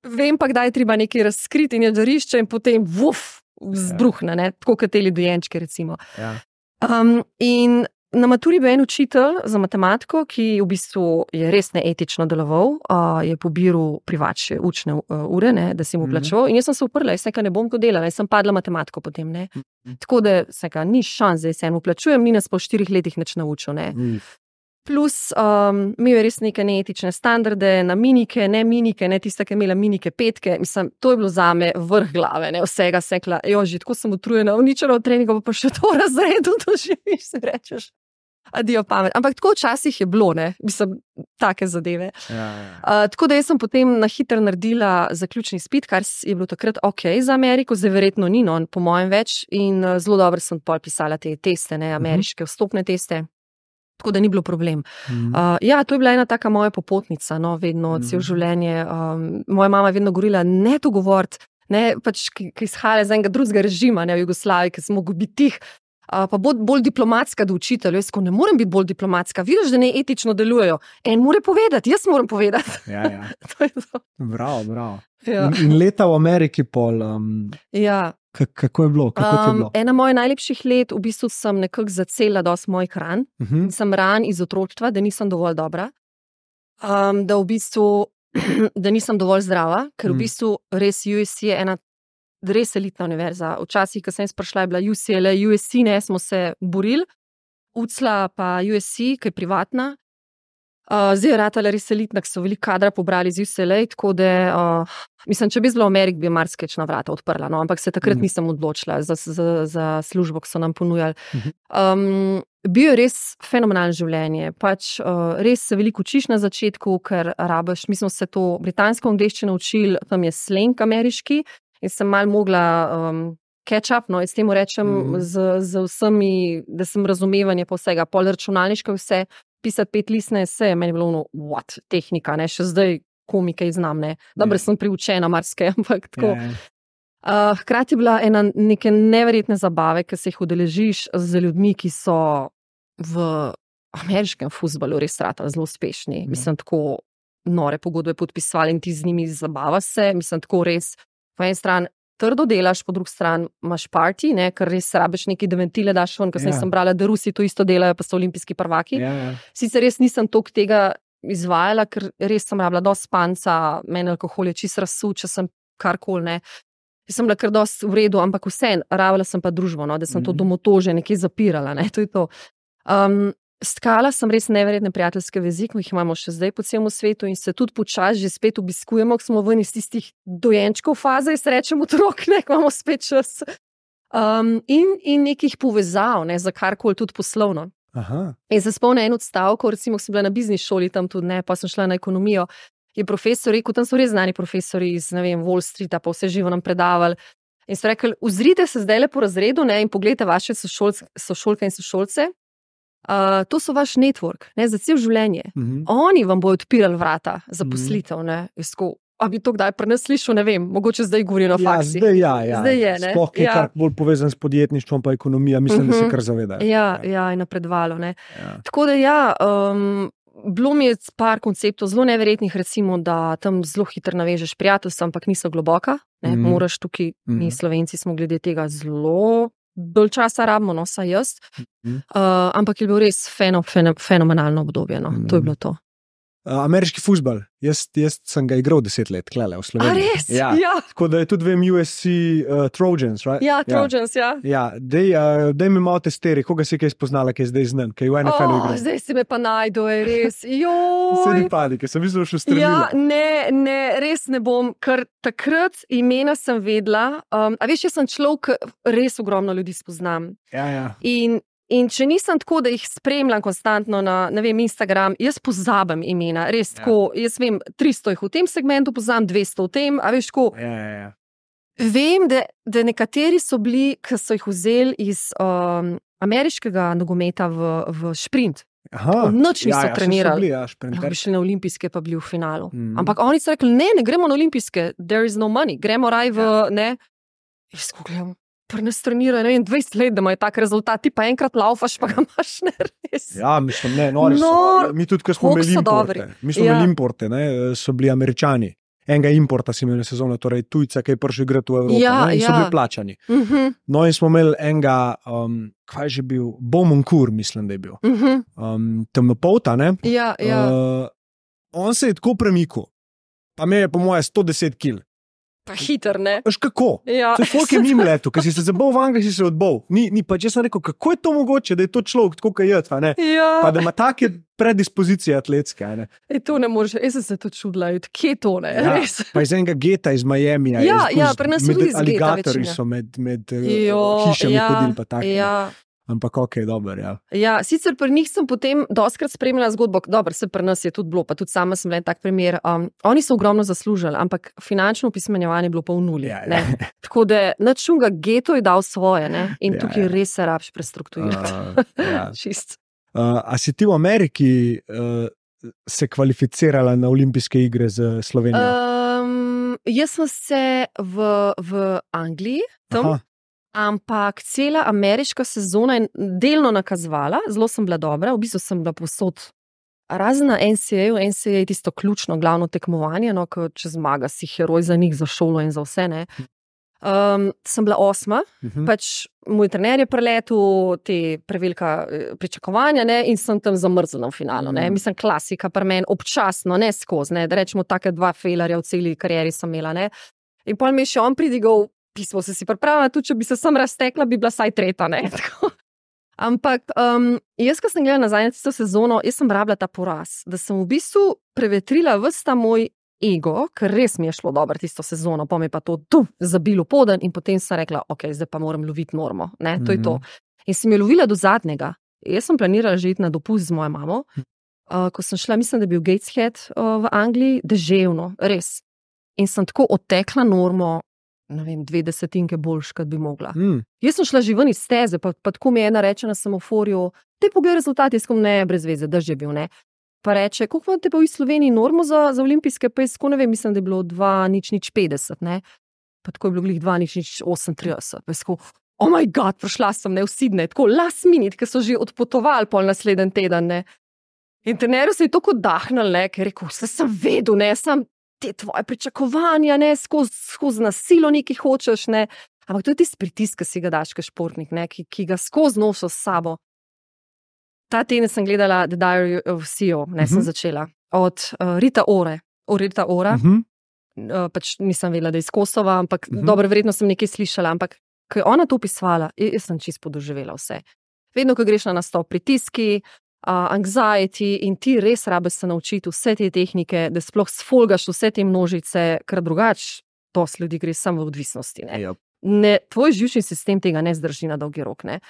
vem pa, kdaj je treba nekaj razkriti in je žarišče in potem vzbruhne, ne, tako kot te dojenčke recimo. In na maturi bil en učitelj za matematiko, ki v bistvu je res neetično deloval, je pobiral privač učne ure, ne, da si mu plačeval. In jaz sem se uprla, jaz ne bom to delala, jaz sem padla matematiko potem, ne. Tako da ni šans, da se mu plačujem, ni nas po 4 letih nič naučil, ne. Plus, imel je res neke neetične standarde na minike, ne tista, ki je imela minike 5, mislim, to je bilo zame vrh glave, ne, vsega sekla, že tako sem utrujena, uničena od treninga, pa še to razredu doživiš, se rečeš. Adijo pamet. Ampak tako včasih je bilo, ne, mislim, take zadeve. Tako da jaz sem potem na hitro naredila zaključni izpit, kar je bilo takrat za Ameriko, zdaj verjetno ni, no, po mojem več, in zelo dobro sem pol pisala te teste, ne, ameriške vstopne teste. Tako da ni bilo problem. To je bila ena taka moja popotnica, no, vedno, celo življenje. Moja mama je vedno govorila, ne to govoriti, ne, pač, ki izhaja iz enega drugega režima, ne, v Jugoslaviji, ki smo mogli biti tih, pa bolj diplomatska do učiteljev. Jaz ne morem biti bolj diplomatska, vidiš, da ne etično delujejo. En mora povedati, jaz moram povedati. To je to. Bravo. In leta v Ameriki pol. Kako je bilo? Ena mojih najlepših let, v bistvu sem nekako zacela dosti mojih ran. Sem ran iz otroštva, da nisem dovolj dobra. Da v bistvu, da nisem dovolj zdrava, ker v bistvu res USC je ena res elitna univerza. Včasih, ko sem jaz prišla, je bila UCLA, USC, ne, smo se borili. UCLA pa USC, ki je privatna. Zdaj je ratala res elitna, ki so veliko kadra pobrali z UCLA, tako da, mislim, če bi bila v Ameriki, bi marsikečna vrata odprla, no, ampak se takrat nisem odločila za službo, ki so nam ponujali. Bil je res fenomenalno življenje, pač res se veliko učiš na začetku, ker rabiš, mi smo se to britansko angleščino učili, tam je slang ameriški, in sem malo mogla, catch up, no, jaz temu rečem z vsemi, da sem razumevanje pa vsega, pol računalniško vse, pisati 5 listne eseje, meni je bilo ono, what, tehnika, ne, še zdaj komike znam, ne, dobro sem priučena marsikaj, ampak tako. Hkrati je bila ena neke neverjetne zabave, ki se jih udeležiš z ljudmi, ki so v ameriškem fuzbalu res ratali zelo uspešni, mislim, tako nore pogodbe podpisovali in ti z njimi zabava se, mislim, tako res, po eni strani trdo delaš, po drugi strani imaš party, ne, ker res rabiš neki ventile daš ven, ker sem brala, da Rusi to isto delajo, pa so olimpijski prvaki. Sicer res nisem toliko tega izvajala, ker res sem rabila dosti spanca, meni alkohol je čisto razsul, če sem karkoli, ne. Jaz sem bila kar dosti v redu, ampak vseeno, rabila sem pa družbo, no, da sem to domotože nekje zapirala, ne, to je to. Stkala sem res neverjetne prijateljske vezi, ki jih imamo še zdaj po celem svetu in se tudi počasi že spet obiskujemo, ko smo ven iz tistih dojenčkov faze, jaz rečem otrok, ne, ko imamo spet čas. In nekih povezav, ne, za karkoli tudi poslovno. In se spomnim en odstavek, recimo, ko sem bila na biznis šoli tam tudi, ne, pa sem šla na ekonomijo, je profesor rekel, tam so res znani profesori iz, ne vem, Wall Streeta, pa vse živo nam predavali. In so rekli, uzrite se zdaj le po razredu, ne, in pogledajte vaše sošolke in sošolce. To so vaš network, ne, za cel življenje. Oni vam bodo odpirali vrata za poslitev, ne. A bi to kdaj pri nas slišal, ne vem, mogoče zdaj govorijo na faksi. Zdaj je, ne. Sploh je kar bolj povezan s podjetništvom pa ekonomija, mislim, da se kar zavedajo. Ja, je napredovalo, ne. Tako da bilo mi je par konceptov zelo neverjetnih, recimo, da tam zelo hitro navežeš prijateljstva, ampak niso globoka, ne, moraš tukaj, mi Slovenci smo glede tega zelo dolj časa rabimo, no, saj jaz. Ampak je bil res fenomenalno obdobje, no. To je bilo to. Ameriški fuzbal, jaz sem ga igral 10 let, klele, v Sloveniji. A res? Ja. Tako da je tudi, vem, USC Trojans, right? Ja, Trojans, ja. Ja, dej mi malo testeri, koga si kaj spoznala, kaj je zdaj znan, kaj je v NFL-u igral. Zdaj si me pa najdu, je res, joj. Se ni panike, sem mislil, še strelila. Ja, ne, res ne bom, ker takrat imena sem vedela, a veš, jaz sem človek, res ogromno ljudi spoznam. Ja. In če nisem tako, da jih spremljam konstantno na, ne vem, Instagram, jaz pozabim imena, res tako, jaz vem, 300 jih v tem segmentu poznam, 200 v tem, a veš, tako. Ja. Vem, da nekateri so bili, ki so jih vzeli iz ameriškega nogometa v šprint. Noč niso trenirali. Bi šli na olimpijske, pa bili v finalu. Ampak oni so rekli, ne gremo na olimpijske, there is no money, gremo raj v, ne. Jaz ko gledam, pri nas trenirajo, ne vem, 20 let, da imajo tak rezultat, ti pa enkrat laufaš, pa ga imaš, ne, res. Ja, mislim, ne, nori so. Mi tudi, ko smo imeli importe, importe, ne, so bili Američani. Enega importa si imel na sezono, torej tujca, ki je prišel igrati v Evropo, ne, in so bili plačani. No, in smo imeli enega, kaj je že bil, Bomonkur, mislim, da je bil. Temnopolta, ne. Ja. On se je tako premikal, pa me je po moje 110 kil. Pa hiter, ne? Veš kako? Ja. To je folk je mimo letu, ker si se zabol v Angliji, si se odbol. Ni pa, če sem rekel, kako je to mogoče, da je to človek tako kaj jed, ne? Ja. Pa da ima take predispozicije atletske, ne? To ne moreš, jaz sem se to čudila, kje to, ne? Ja. Res. Pa iz enega geta iz Miamija. Ja, pri nas so tudi iz geta aligatorji večina. so med hišami hodili pa tako. Ja. Ampak ok, dober, ja. Ja, sicer pri njih sem potem dostkrat spremljala zgodbo, dobro, se pri nas je tudi bilo, pa tudi sama sem bila en tak primer. Oni so ogromno zaslužili, ampak finančno opismenjevanje je bilo pa v nuli. Ja. Tako da načunga geto je dal svoje, ne? In tukaj res se rabiš prestrukturirati. Čist. A si ti v Ameriki se kvalificirala na olimpijske igre z Slovenijo? Jaz sem se v Angliji tam. Ampak cela ameriška sezona je delno nakazovala, zelo sem bila dobra, v bistvu sem bila povsod. Razen na NCAA je tisto ključno, glavno tekmovanje, no, ko če zmaga si heroj za njih, za šolo in za vse, ne. Sem bila 8, pač moj trener je preletel te prevelika pričakovanja, ne, in sem tam zamrznila v finalu, ne. Mislim, klasika pri meni, občasno, ne skozi, ne, da rečemo take 2 failerja v celi karieri sem imela, ne. In potem mi je še on pridigal, pismo se si pripravila, tudi če bi se sam raztekla, bi bila saj 3, ne. Ampak jaz, ko sem gledala nazaj na tisto sezono, jaz sem rabila ta poraz, da sem v bistvu prevetrila ves ta moj ego, ker res mi je šlo dobro tisto sezono, pa mi je pa to zabilo poden in potem sem rekla, ok, zdaj pa moram loviti normo, ne, to je to. In sem jo lovila do zadnjega. Jaz sem planirala že iti na dopust z mojo mamo, ko sem šla, mislim, da je bil Gateshead v Angliji, deževno, res. In sem tako odtekla normo, ne vem, 20 boljš, kot bi mogla. Jaz sem šla že ven iz steze, pa tako mi ena reče na semaforju, te pogled rezultat, jaz kom ne, brez veze, drž je bil, ne. Pa reče, koliko imate pa v Sloveniji normo za olimpijske, pa jaz tako ne vem, mislim, da je bilo 2,050, ne. Pa tako je bilo glih 2,038, pa jaz tako, oh my god, prišla sem, ne, v Sydney, tako last minute, ker so že odpotovali pol naslednji teden, ne. In trenerju se je tako dahnil, ne, ker je rekel, vse sem vedel, ne, sam te tvoje pričakovanja, ne, skozi nasilo nekaj hočeš, ne. Ampak to je tisti pritisk, ki si ga daš, kot športnik, ne, ki ga skozi noso s sabo. Ta teden sem gledala The Diary of CEO, ne, sem začela. Od Rita Ora, pač nisem vedela, da je iz Kosova, ampak dobro, verjetno sem nekaj slišala, ampak ko je ona to opisovala, jaz sem čisto podoživela vse. Vedno, ko greš na nastop, pritiski, anxiety in ti res rabiš se naučiti vse te tehnike, da sploh sfolgaš vse te množice, ker drugače dosti ljudi gre samo v odvisnosti. Ne, tvoj živčni sistem tega ne zdrži na dolgi rok. Ne.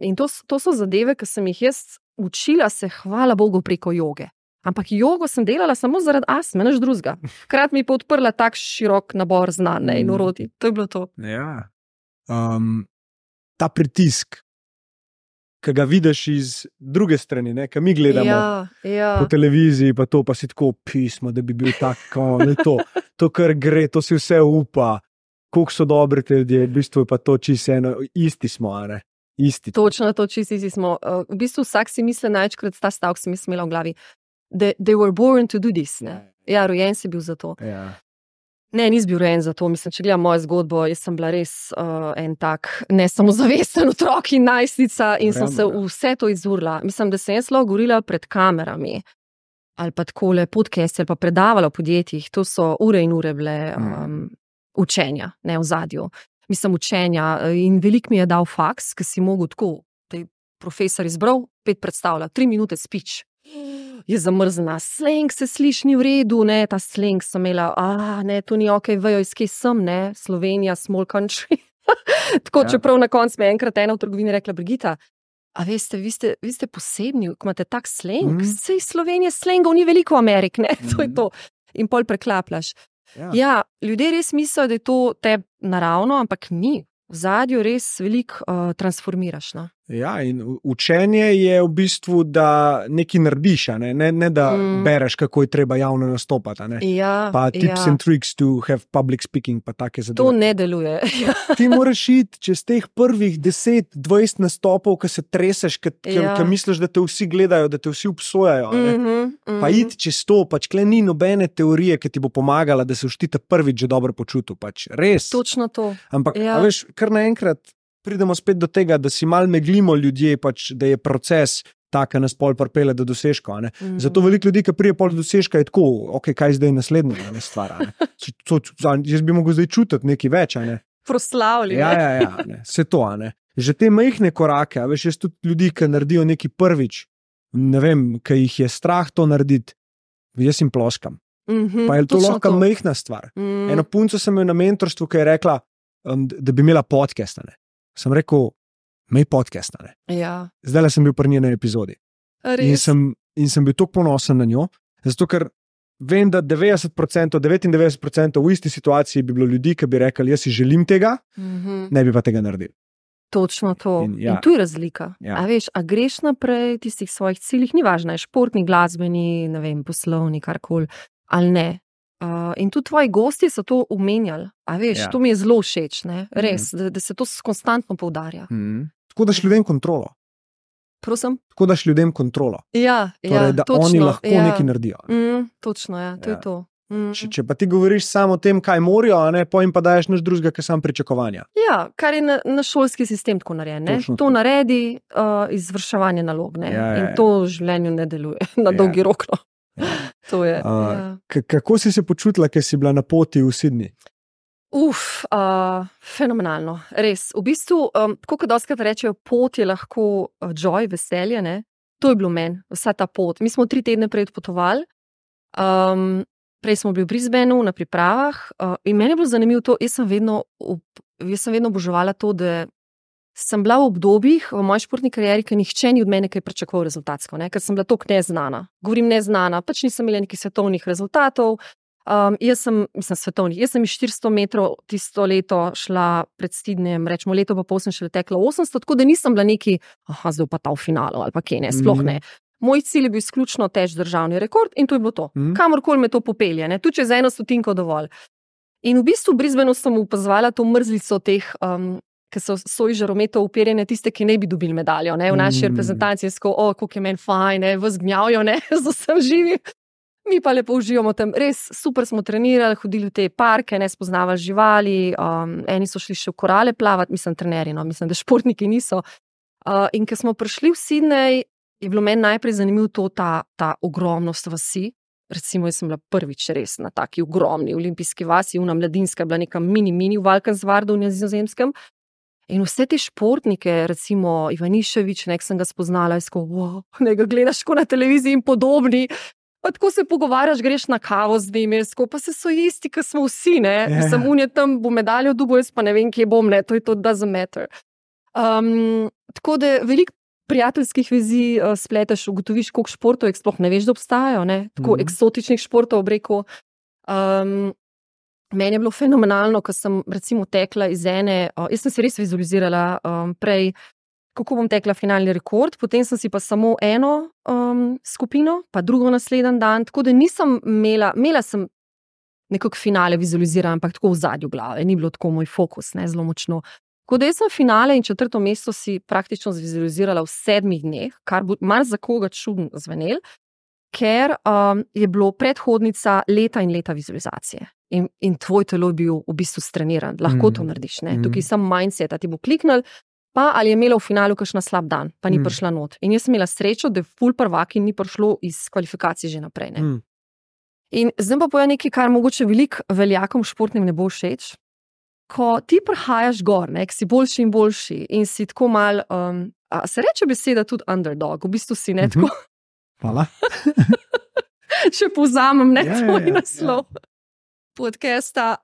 In to so zadeve, ki sem jih jaz učila se, hvala Bogu, preko joge. Ampak jogo sem delala samo zaradi astme, nič drugega. Hkrati mi je pa odprla tak širok nabor znanj in orodij. To je bilo to. Ja. Ta pritisk, ki ga vidiš iz druge strani, ne, ki mi gledamo po televiziji, pa to pa si tako pismo, da bi bil tako, ne, to kar gre, to si vse upa, koliko so dobri te ljudje, v bistvu je pa to čisto eno, isti smo, ne, isti. Točno to, čisto isti smo. V bistvu vsak si misli največkrat, ta stavek sem jaz imela v glavi, they were born to do this, ne. Ja, rojen si bil za to. Ja. Ne, nis bil rojen za to. Mislim, če gledam mojo zgodbo, jaz sem bila res en tak nesamozavesten otrok in najstnica in sem se vse to izurila. Mislim, da sem jaz lahko govorila pred kamerami ali pa takole podcast ali pa predavala v podjetjih. To so ure in ure bile učenja, ne, v zadju. Mislim, učenja in veliko mi je dal faks, ki si mogel tako, da je profesor izbral, 5 predstavlja, 3 minute speech. Je zamrzna, slang se sliši ni v redu, ne, ta slang sem imela, ne, to ni ok, vejo, iz kje sem, ne, Slovenija, small country. Tako, čeprav na koncu me enkrat ena v trgovini rekla, Brigita, a veste, vi ste posebni, ko imate tak slang, sej Slovenije slangov ni veliko v Ameriki, ne, to je to. In pol preklapljaš. Ja, ljudje res mislijo, da je to tebi naravno, ampak ni. V zadju res veliko transformiraš, no. Ja, in učenje je v bistvu, da nekaj narediš, ne da bereš, kako je treba javno nastopati. Pa tips and tricks to have public speaking, pa take zadeve. To ne deluje. Ti moraš iti čez teh prvih 10-20 nastopov, ko se treseš, ko misliš, da te vsi gledajo, da te vsi obsojajo. Pa iti čez to, pač kle ni nobene teorije, ki ti bo pomagala, da se boš ti prvič že dobro počutil. Pač res. Točno to. Ampak, a veš, kar naenkrat pridemo spet do tega, da si mal meglimo ljudje, pač, da je proces tak, ki nas pol pripelje do dosežka. Zato veliko ljudi, ki prije pol do dosežka, je tako, ok, kaj zdaj naslednja stvar. Jaz bi mogel zdaj čutiti nekaj več. Proslavljanje. Ja, vse to. Že te majhne korake, veš, jaz tudi ljudi, ki naredijo nekaj prvič, ne vem, ki jih je strah to narediti, jaz jim ploskam. Pa je to lahko majhna stvar. Eno punco sem imel na mentorstvu, ki je rekla, da bi imela podcast. Sem rekel, imej podcast. Ja. Zdajle sem bil pri njeni epizodi. In sem bil tako ponosen na njo, zato ker vem, da 99% v isti situaciji bi bilo ljudi, ki bi rekli, jaz si želim tega, ne bi pa tega naredili. Točno to. In tu je razlika. A veš, a greš naprej tistih svojih ciljih, ni važno, je športni, glasbeni, ne vem, poslovni, karkoli, ali ne. In tudi tvoji gosti so to omenjali. A veš, to mi je zelo všeč, ne? Res, da se to konstantno poudarja. Tako daš ljudem kontrolo. Prosim? Tako daš ljudem kontrolo. Torej, da točno, oni lahko nekaj naredijo. Točno, to je to. Če pa ti govoriš samo o tem, kaj morajo, potem pa daješ nič drugega, kot sam pričakovanja. Ja, kar je na šolski sistem tako narejen. To naredi izvrševanje nalog. In to v življenju ne deluje na dolgi rok. To je. Kako si se počutila, ko si bila na poti v Sydney? Fenomenalno, res. V bistvu, tako kot dostikrat rečejo, pot je lahko joy, veselje, ne? To je bilo meni, vsa ta pot. Mi smo 3 tedne prej odpotovali, prej smo bili v Brisbaneu na pripravah in meni je bilo zanimivo to, jaz sem vedno oboževala to, da sem bila v obdobjih v moji športni karieri, ker nihče ni od mene kaj pričakoval rezultatsko, ker sem bila toliko neznana. Govorim neznana, pač nisem imela nekih svetovnih rezultatov, Jaz sem svetovni. Jaz sem iz 400 metrov tisto leto šla pred Sydneyjem, rečemo leto pa pol sem šele tekla 800, tako da nisem bila neki, zdaj pa ta v finalu ali pa kje ne, sploh ne. Moj cilj je bil izključno teč državni rekord in to je bilo to. Kamorkoli me to popelje, ne, tudi če za 1 stotinko dovolj. In v bistvu v Brisbaneu sem opazovala to mrzlico teh, ki so svoj žarometov uperjene, tiste, ki ne bi dobili medaljo, ne, v naši reprezentaciji, koliko je meni fajn, ne, vas gnjavijo, ne, z vsem živim. Mi pa lepo uživamo tam, res super smo trenirali, hodili v te parke, ne, spoznavali živali, eni so šli še v korale plavati, mislim trenerji, no, mislim, da športniki niso. In ko smo prišli v Sydney, je bilo meni najprej zanimivo to, ta ogromnost vasi. Recimo, jaz sem bila prvič res na taki ogromni olimpijski vasi, una mladinska je bila neka mini v Valkensvardu v Nizozemskem. In vse te športnike, recimo Ivanišević, nek sem ga spoznala, ne ga gledaš ko na televiziji in podobni. Pa tako se pogovarjaš, greš na kavo z njimi, pa se so isti, ki smo vsi, ne. Sem unje tam, bo medaljo dobil, jaz pa ne vem, kje bom, ne, to je to, doesn't matter. Tako da veliko prijateljskih vezi spleteš, ugotoviš, koliko športov, sploh ne veš, da obstajajo, ne, tako eksotičnih športov, obreko. Meni je bilo fenomenalno, ko sem recimo tekla iz ene, jaz sem se res vizualizirala prej, kako bom tekla finalni rekord, potem sem si pa samo eno skupino, pa drugo naslednji dan, tako da nisem imela sem nekako finale vizualiziran, ampak tako v zadju glave, ni bilo tako moj fokus, ne, zelo močno. Tako da jaz sem finale in 4. mesto si praktično vizualizirala v 7 dneh, kar bo malo za koga čudno zvenel, ker je bilo predhodnica leta in leta vizualizacije. In tvoj telo je bil v bistvu streniran, lahko to narediš, ne, tukaj sem mindset, ti bo kliknil, pa ali je imela v finalu kakšna slab dan, pa ni prišla not. In jaz sem imela srečo, da je ful prvak in ni prišlo iz kvalifikacij že naprej. Ne? In zdaj pa povem nekaj, kar mogoče veliko veljakom športnim ne bo všeč. Ko ti prihajaš gor, ne, si boljši in boljši in si tako mal, se reče beseda tudi underdog, v bistvu si ne tako. Hvala. Če povzamem, ne, tvoj naslov podcasta.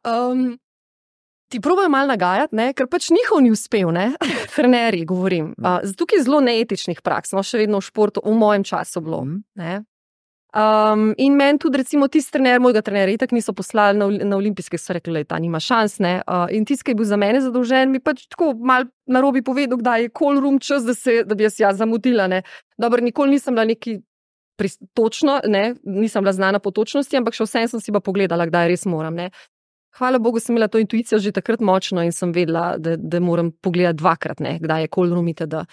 Ti probajo malo nagajati, ne, ker pač njihov ni uspel, ne, trenerji govorim. Tukaj je zelo neetičnih praks, no, še vedno v športu, v mojem času bilo, ne. In meni tudi recimo tisti trener, mojega trenerja, itak niso poslali na olimpijske, so rekli, ta nima šans, ne, in tisti, ki je bil za mene zadolžen, mi pač tako malo narobe povedal, kdaj je call room čas, da bi jaz zamudila, ne. Dobro, nikoli nisem bila neki točno, ne, nisem bila znana po točnosti, ampak še vsem sem si pa pogledala, kdaj res moram, ne. Hvala Bogu, sem imela to intuicijo že takrat močno in sem vedela, da moram pogledati 2-krat, ne, kdaj je call room itd.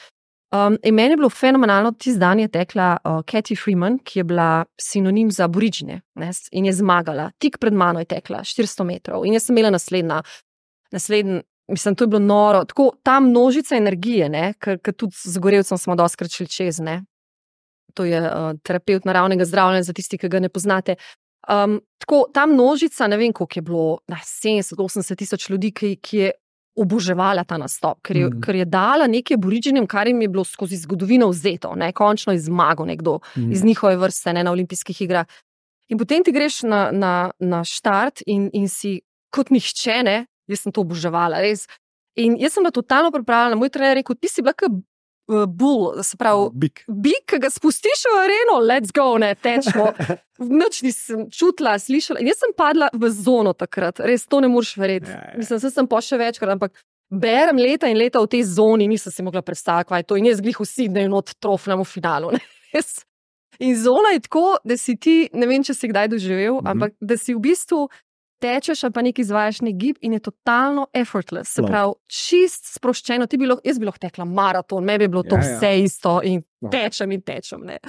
In meni je bilo fenomenalno, tisti dan je tekla Cathy Freeman, ki je bila sinonim za Aboriginje, ne, in je zmagala. Tik pred mano je tekla 400 metrov in jaz sem imela naslednji, mislim, to je bilo noro, tako ta množica energije, ne, ker tudi z Gorevcem smo dostikrat šli čez, ne. To je terapeut naravnega zdravljenja za tisti, ki ga ne poznate. Tako, ta množica, ne vem, koliko je bilo, 70-80 tisoč ljudi, ki je oboževala ta nastop, ker je dala nekaj Aboriginjem, kar jim je bilo skozi zgodovino vzeto, ne, končno je zmagal nekdo iz njihove vrste, ne, na olimpijskih igrah. In potem ti greš na štart in si kot nihče, ne, jaz sem to oboževala, res. In jaz sem bila totalno pripravljena, moj trener je rekel, ti si bila kot bull, se pravi, bik, ki ga spustiš v areno, let's go, ne, tečmo. Nič nisem čutila, slišala. In jaz sem padla v zono takrat, res to ne moreš verjeti. Mislim, sem pa še večkrat, ampak berem leta in leta v tej zoni, nisem si mogla predstaviti, kaj je to. In jaz glih v Sydneyju not trofnem v finalu. Ne. In zona je tako, da si ti, ne vem, če si kdaj doživel, ampak da si v bistvu tečeš, pa nekaj izvajaš nek gib in je totalno effortless. Se pravi, čist sproščeno. Jaz bi lahko tekla maraton, me bi bilo to vse isto in tečem, ne.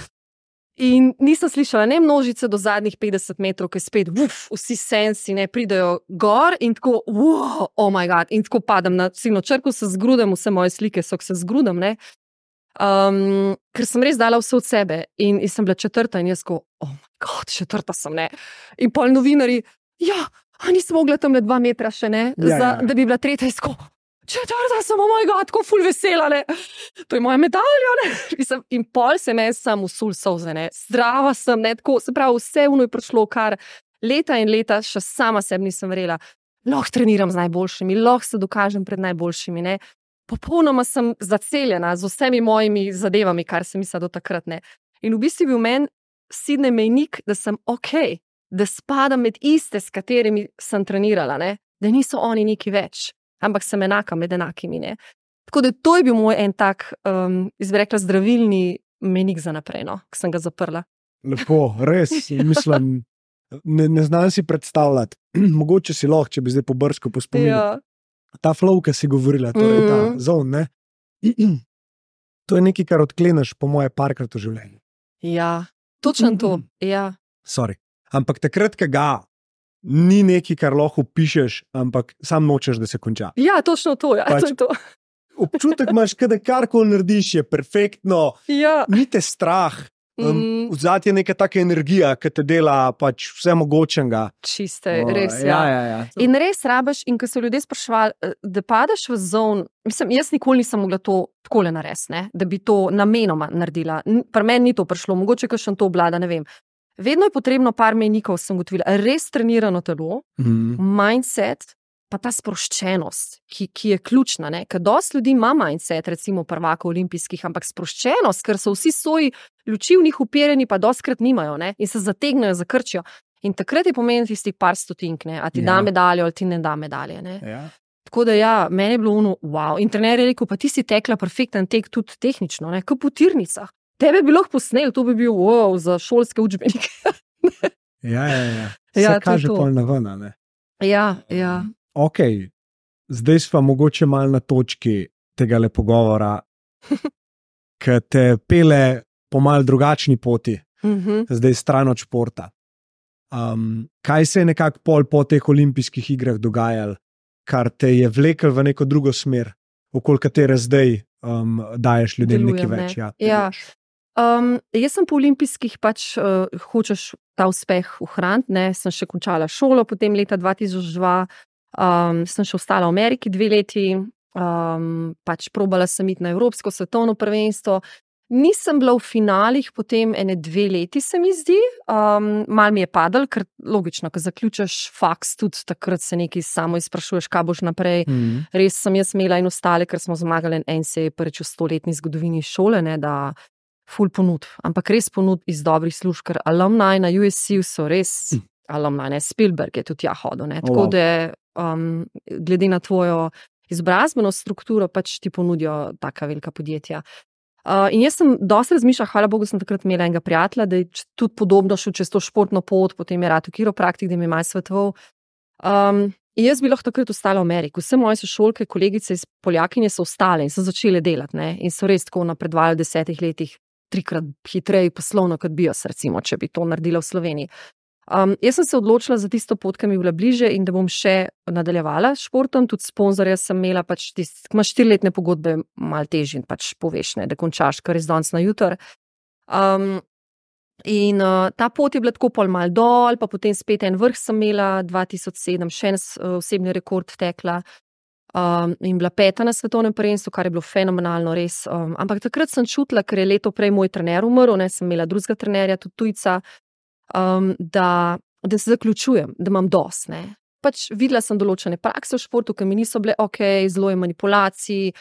In nisem slišala ne množice do zadnjih 50 metrov, ki spet, vsi sensi, ne, pridejo gor in tako, oh my god, in tako padam na ciljno črko, se zgrudem, vse moje slike so, se zgrudem, ne. Ker sem res dala vse od sebe in sem bila 4. in jaz ko, oh my god, 4. sem, ne. In pol novinarji, nisem mogla tam 2 metra še, ne, da bi bila 3. izko. 4. sem, oh my god, tako ful vesela, ne. To je moja medalja, ne. In pol se me sam usul solze, ne. Zdrava sem, ne, tako, se pravi, vse je prišlo, kar leta in leta še sama sebi nisem verjela. Lahko treniram z najboljšimi, lahko se dokažem pred najboljšimi, ne. Popolnoma sem zaceljena z vsemi mojimi zadevami, kar sem mislila do takrat, ne. In v bistvu bil meni Sydney mejnik, da sem okej. da spadam med iste, s katerimi sem trenirala, ne? Da niso oni neki več, ampak sem enaka med enakimi. Ne? Tako da to je bil moj en tak, izrekla, zdravilni menik za naprej, no? Ko sem ga zaprla. Lepo, res, mislim, ne znam si predstavljati. Mogoče si lahko, če bi zdaj pobrskal po spominu. Ja. Ta flow, ki si govorila, torej ta zone, ne? To je nekaj, kar odkleneš po moje parkrat v življenju. Ja, točno to, ja. Sorry. Ampak takrat, ko ga ni nekaj, kar lahko pišeš, ampak sam nočeš, da se konča. Ja, točno to, ja, Pač- to je to. Občutek imaš, da karkoli narediš, je perfektno, Ja. ni te strah. Vzati je neka taka energija, ki te dela pač vse mogočenega. Čiste, res, ja. In res rabiš, in ko so ljudje spraševali, da padeš v zone, mislim, jaz nikoli nisem mogla to takole narediti, ne, da bi to namenoma naredila. Pri meni ni to prišlo, mogoče kakšen to obvlada, ne vem. Vedno je potrebno par mejnikov, sem ugotovila, res trenirano telo, mindset, pa ta sproščenost, ki je ključna, ne, ker dosti ljudi ima mindset, recimo prvakov olimpijskih, ampak sproščenost, ker so vsi svoji luči v njih uperjeni, pa dostikrat nimajo, ne, in se zategnejo, zakrčijo. In takrat je pomen tistih par stotink, ne, a ti da medaljo ali ti ne da medalje, ne. Ja. Tako da ja, meni je bilo ono, wow. In trener je rekel, pa ti si tekla perfekten tek tudi tehnično, ne, kot po tirnicah. Tebe bi lahko posnel, to bi bil wow, za šolske učbenike. Ja. Se Ja, to je kaže to. pol na ven, ne? Ja. Ok, zdaj smo mogoče malo na točki tega pogovora, ki te pele po malo drugačni poti, zdaj stran od športa. Kaj se je nekako pol po teh olimpijskih igrah dogajalo, kar te je vlekel v neko drugo smer, okoli katere zdaj daješ ljudem Delujem, nekaj ne. več? Ja. Jaz sem po olimpijskih pač hočeš ta uspeh ohraniti, ne, sem še končala šolo, potem leta 2002 sem še ostala v Ameriki 2 leti, pač probala sem iti na evropsko svetovno prvenstvo. Nisem bila v finalih, potem 2 leti se mi zdi, malo mi je padalo, ker logično, ko zaključiš faks, tudi takrat se nekaj samo izprašuješ, kaj boš naprej. Res sem jaz imela in ostale, ker smo zmagali NCAA prvič v 100-letni zgodovini šole, ne, da ful ponudb, ampak res ponudb iz dobrih služb, ker alumni na USC so res alumni, ne, Spielberg je tudi tja hodil, ne, tako da glede na tvojo izobrazbeno strukturo pač ti ponudijo taka velika podjetja. In jaz sem dosti razmišljala, hvala Bogu, sem takrat imela enega prijatelja, da je tudi podobno šel čez to športno pot, potem je rad v kiropraktik, da mi je malo svetoval. In jaz bi lahko takrat ostala v Ameriki. Vse moje sošolke, kolegice iz Poljakinje so ostale in so začele delati, ne, in so res tako napredovali v 10 letih 3-krat hitreje poslovno, kot bi jaz, recimo, če bi to naredila v Sloveniji. Jaz sem se odločila za tisto pot, ki mi je bila bliže in da bom še nadaljevala s športom, tudi sponzorja sem imela, pač ko imaš 4-letne pogodbe, malo težje pač poveš, ne, da končaš kar iz danes na jutr. In ta pot je bila tako pol mal dol, pa potem spet en vrh sem imela, 2007 še en osebni rekord tekla. In bila 5. na svetovnem prvenstvu, kar je bilo fenomenalno, res. Ampak takrat sem čutila, ker je leto prej moj trener umrl, ne, sem imela drugega trenerja, tudi tujca, da se zaključujem, da imam dosti, ne. Pač videla sem določene prakse v športu, ki mi niso bile zelo je manipulacij,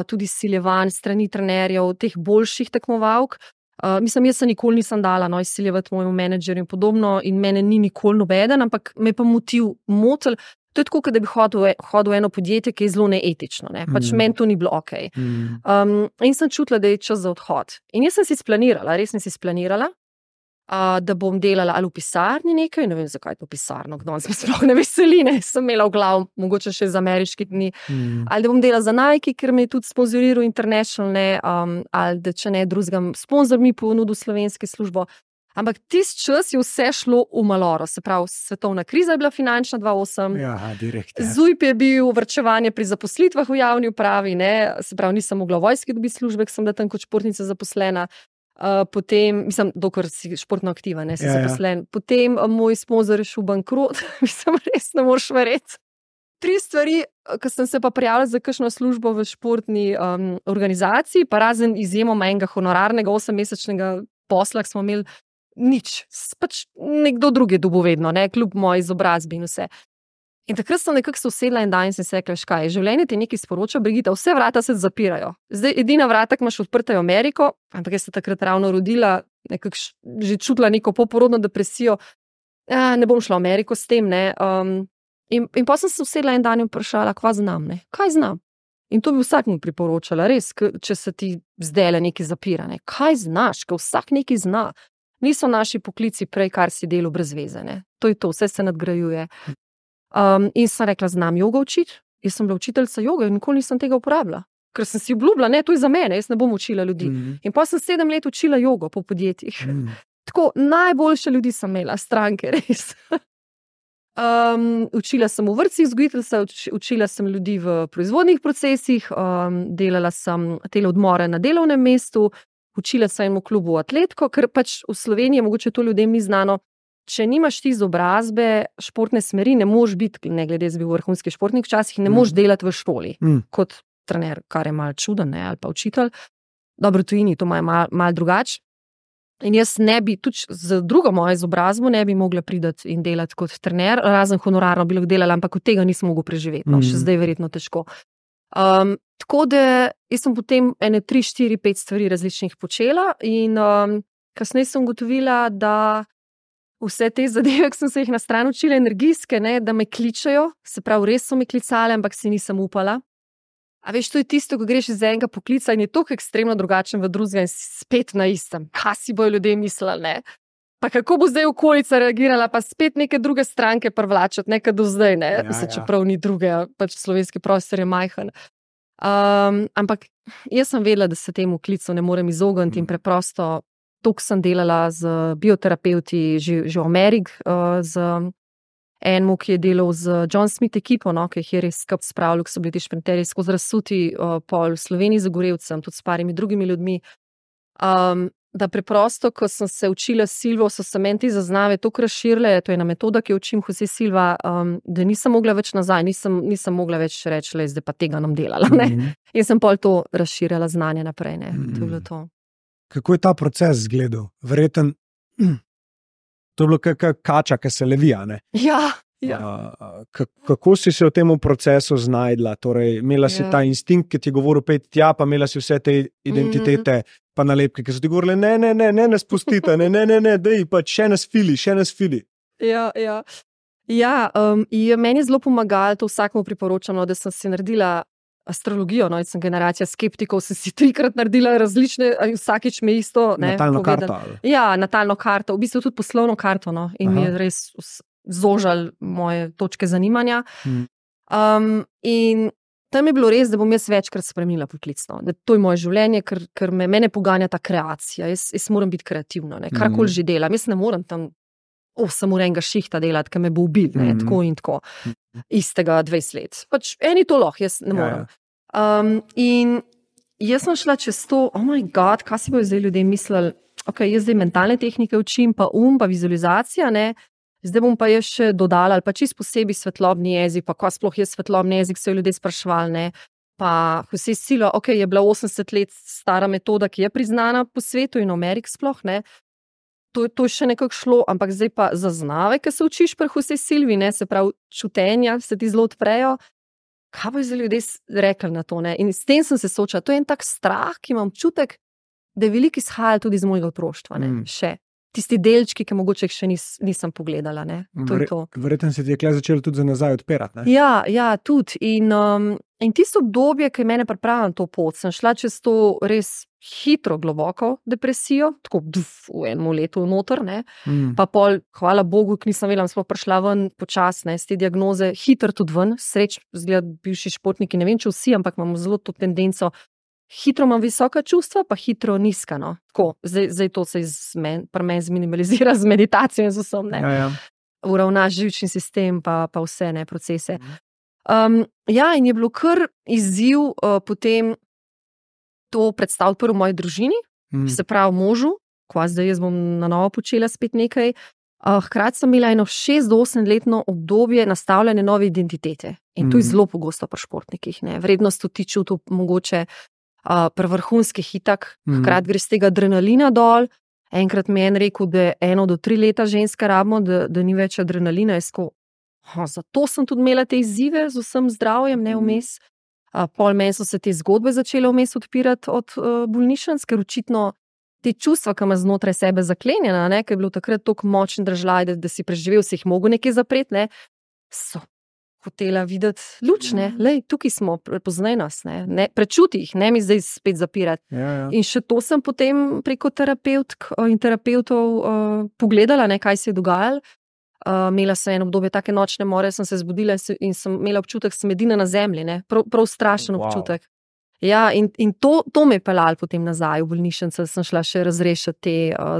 tudi izsiljevanj strani trenerjev, teh boljših tekmovalk. Mislim, jaz se nikoli nisem dala izsiljevati mojemu menedžerju in podobno in mene ni nikoli nobeden, ampak me pa motil motil. To je tako, kot da bi hodil v eno podjetje, ki je zelo neetično, ne. Pač meni to ni bilo okej. In sem čutila, da je čas za odhod. In jaz sem si splanirala, res sem si splanirala, da bom delala ali v pisarni nekaj, ne vem, zakaj to pisarno, kdo se sploh ne veseli, ne, sem imela v glavu, mogoče še z ameriških dni, ali da bom delala za Nike, ker me je tudi sponzoriral International, ne, ali da če ne drugega, sponzor mi ponudil slovenske službo. Ampak tisti čas je vse šlo v maloro, se pravi, svetovna kriza je bila finančna 2008, direkt. ZUJP je bil, varčevanje pri zaposlitvah v javni upravi, ne, se pravi, nisem mogla v vojski dobiti službe, ker sem bila tam kot športnica zaposlena. Potem, mislim, dokler si športno aktiva, ne, si zaposlen. Potem moj sponzor je šel bankrot, mislim, res ne moreš verjeti. 3 stvari, ko sem se pa prijavila za kakšno službo v športni organizaciji, pa razen izjemoma enega honorarnega 8-mesečnega posla, ki smo imeli nič. Pač nekdo drug je dobil vedno, ne, kljub moji izobrazbi in vse. In takrat sem nekako se usedla en dan in sem se rekla, kaj, življenje ti nekaj sporoča, Brigita, vse vrata se zapirajo. Zdaj, edina vrata, ki imaš odprta, je Ameriko, ampak jaz sem takrat ravno rodila, nekako že čutila neko poporodno depresijo. Ne bom šla v Ameriko s tem, ne. In potem sem se usedla en dan in vprašala, kva znam, ne. Kaj znam? In to bi vsakmu priporočala, res, če se ti zdajle nekaj zapira, ne. Kaj znaš, ker vsak nekaj zna. Niso naši poklici prej, kar si delo brez veze, ne. To je to, vse se nadgrajuje. In sem rekla, znam jogo učiti. Jaz sem bila učiteljica joge in nikoli nisem tega uporabila. Ker sem si obljubila, ne, to je za mene, jaz ne bom učila ljudi. In potem sem 7 let učila jogo po podjetjih. Tako, najboljše ljudi sem imela, stranke, res. Učila sem v vrtcih vzgojiteljica, učila sem ljudi v proizvodnih procesih, delala sem tele odmore na delovnem mestu, učila sem v klubu atletko, ker pač v Sloveniji, mogoče to ljudem ni znano, če nimaš ti izobrazbe, športne smeri, ne moš biti, ne glede jaz bil v vrhunski športnih časih, ne moš delati v šoli kot trener, kar je malo čuden, ne, ali pa učitelj. Dobro, tujini to imajo malo drugače. In jaz ne bi, tudi z drugo mojo izobrazbo ne bi mogla priti in delati kot trener, razen honorarno bi lahko delala, ampak od tega nisem mogla preživeti, no, še zdaj verjetno težko. Tako da jaz sem potem 3, 4, 5 stvari različnih počela in kasneje sem ugotovila, da vse te zadeve, ki sem se jih na stran učila, energijske, ne, da me kličejo, se pravi, res so me klicale, ampak si nisem upala. A veš, to je tisto, ko greš iz enega poklica in je toliko ekstremno drugačen v drugega in si spet na istem. Kaj si bojo ljudje mislili, ne? Pa kako bo zdaj okolica reagirala, pa spet neke druge stranke privlačati, nekaj do zdaj, ne? Čeprav ni druge, pač slovenski prostor je majhen. Ampak jaz sem vedela, da se temu klicu ne morem izogniti in preprosto toliko sem delala z bioterapeuti že v Ameriki, z enemu, ki je delal z John Smith ekipo, no, ki jih je res skup spravljal, ki so bili ti šprinterji skozi razsuti pol v Sloveniji za Gorevcem, tudi s parimi drugimi ljudmi. Da preprosto, ko sem se učila Silvo, so se meni ti zaznave toliko razširile, to je ena metoda, ki jo učim Jose Silva, da nisem mogla več nazaj, nisem mogla več reči, zdaj pa tega nam delala, ne. In sem pol to razširjala znanje naprej, ne. To je bilo to. Kako je ta proces izgledal? Verjetno, to je bilo kača, ki se levija, ne? Ja. Kako si se v tem procesu znajdla? Torej, imela si ta instinkt, ki ti je govoril pet tja, pa imela si vse te identitete, pa nalepke, ki so ti govorili, ne spustite, ne, dej, pa še nas fili. Ja, meni je zelo pomagalo, to vsakmu priporočam, da sem si naredila astrologijo, no, sem generacija skeptikov, sem si 3-krat naredila različne, vsakič me isto, ne, natalno karto. Ja, natalno karto, v bistvu tudi poslovno karto, no, in mi je res zožal moje točke zanimanja. In tam je bilo res, da bom jaz večkrat spremenila poklicno, da to je moje življenje, ker mene poganja ta kreacija, jaz moram biti kreativna, ne, karkoli že delam, jaz ne moram tam 8 ur enega šihta delati, ker me bo ubil, ne, tako in tako, istega 20 let. Pač eni to lahko, jaz ne morem. In jaz sem šla čez to, oh my god, kaj si bojo zdaj ljudje mislili, ok, jaz zdaj mentalne tehnike učim, pa pa vizualizacija, ne, zdaj bom pa jaz še dodala, ali pa čisto posebej svetlobni jezik, pa kaj sploh je svetlobni jezik, so ljudje spraševali, ne, pa Jose Silva, ok, je bila 80 let stara metoda, ki je priznana po svetu in v Ameriki sploh, ne, to je še nekako šlo, ampak zdaj pa zaznave, ki se učiš pri Jose Silvi, ne, se pravi čutenja, se ti zelo odprejo, kaj bo za ljudje rekli na to, ne, in s tem sem se soočala, to je en tak strah, ki imam občutek, da je veliko izhajalo tudi iz mojega otroštva, ne, še. Tisti delčki, ki mogoče še nisem pogledala, ne, to je to. Verjetno se ti je kle začelo tudi za nazaj odpirati, ne? Ja, tudi, in tisto obdobje, ki je mene pripravilo na to pot, sem šla čez to res hitro, globoko depresijo, tako v enem letu noter, ne, pa pol, hvala Bogu, ki nisem vedela, sploh prišla ven počasne, z te diagnoze, hitro tudi ven, sreč, zgleda bivši športniki, ne vem, če vsi, ampak imamo zelo to tendenco, hitro imam visoka čustva, pa hitro nizka, no, tako, zdaj to se pri meni zminimalizira z meditacijo in z vsem, ne, uravnaš živčni sistem, pa vse, ne, procese. In je bilo kar izziv potem to predstaviti prvo v moji družini, se pravi možu, ko zdaj jaz bom na novo počela spet nekaj. Hkrati sem imela eno 6 do 8 letno obdobje nastavljene nove identitete. In to je zelo pogosto pri športnikih, ne. Vrednost ti čutil mogoče pri vrhunskih itak, hkrati gre z tega adrenalina dol. Enkrat mi je en rekel, da 1 do 3 leta ženska rabimo, da ni več adrenalina. Zato sem tudi imela te izzive z vsem zdravjem, ne vmes. Pol meni so se te zgodbe začele vmes odpirati od bolnišnic, ker očitno te čustva, ki ima znotraj sebe zaklenjena, ne, ker je bilo takrat toliko močen držlaj, da si preživel, si jih mogel nekaj zapreti, ne, so hotela videti luč, ne, lej, tukaj smo, prepoznaj nas, ne, prečuti jih, ne mi zdaj spet zapirati. Ja. In še to sem potem preko terapeutk in terapeutov pogledala, ne, kaj se je dogajalo. Imela sem eno obdobje take nočne more, sem se zbudila in sem imela občutek, da sem edina na zemlji, ne, prav strašen občutek. Ja, in to me je peljalo potem nazaj v bolnišnico, sem šla še razrešiti te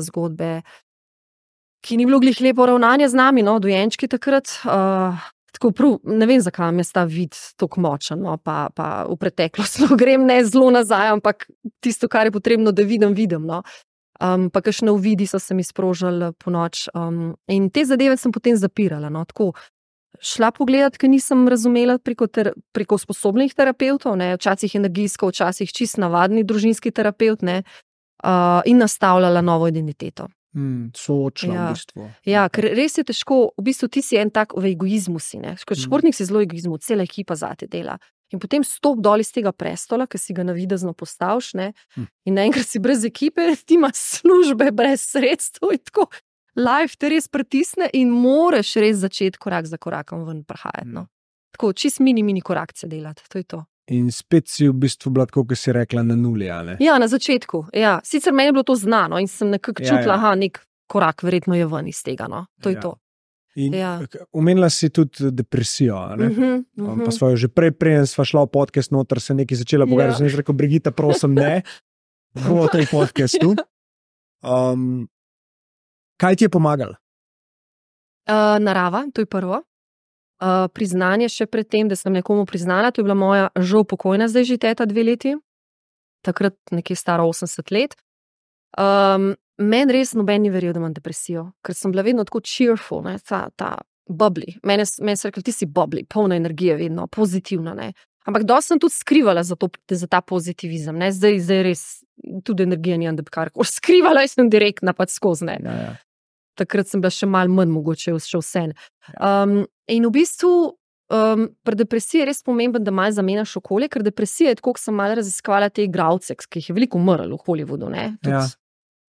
zgodbe, ki ni bilo glih lepo ravnanje z nami, no, dojenčki takrat. Tako prav, ne vem, zakaj mi je ta vid tako močen, no, pa v preteklost grem ne zelo nazaj, ampak tisto, kar je potrebno, da vidim, no. Pa kakšne uvidi so se mi sprožili po noč. In te zadeve sem potem zapirala, no, tako. Šla pogledati, ker nisem razumela preko sposobnih terapeutov, ne, včasih energijsko, včasih čist navadni družinski terapeut, ne, in nastavljala novo identiteto. Soočila v bistvu. Ja, ker res je težko, v bistvu ti si en tak v egoizmu si, ne, kot športnik si zelo egoizmu, cela ekipa zate dela. In potem stop dol iz tega prestola, ki si ga navidezno postaviš, ne, in naenkrat si brez ekipe, ti imaš službe brez sredstev in tako. Life te res pritisne in moraš res začeti korak za korakom ven prihajati, no. Tako, čist mini korakce delati, to je to. In spet si v bistvu bila, tako, kot si rekla, na nuli, ali? Ja, na začetku, ja. Sicer meni je bilo to znano in sem nekako čutila, nek korak verjetno je ven iz tega, no. To je to. In omenila si tudi depresijo, ne? Pa sva jo že preden sva šla v podcast noter, se nekaj začela pogovarjati, sem že rekel, Brigita, prosim, ne, bo v tej podcastu. Kaj ti je pomagalo? Narava, to je prvo. Priznanje še pred tem, da sem nekomu priznala, to je bila moja žal pokojna, zdaj že teta 2 leti, takrat nekje stara 80 let. Meni res noben ni verjel, da imam depresijo, ker sem bila vedno tako cheerful, ne, ta bubbly. Meni so rekli, ti si bubbly, polna energije vedno, pozitivna, ne. Ampak dosti sem tudi skrivala za ta pozitivizem, ne, zdaj res tudi energija nijam, da bi karkoli skrivala, jaz sem direktna pač skozi, ne. Ja. Takrat sem bila še malo manj mogoče še vsem. In v bistvu pri depresiji je res pomembno, da malo zamenjaš okolje, ker depresija je tako, ko sem malo raziskovala te igralce, ki jih je veliko umrlo v Hollywoodu, ne.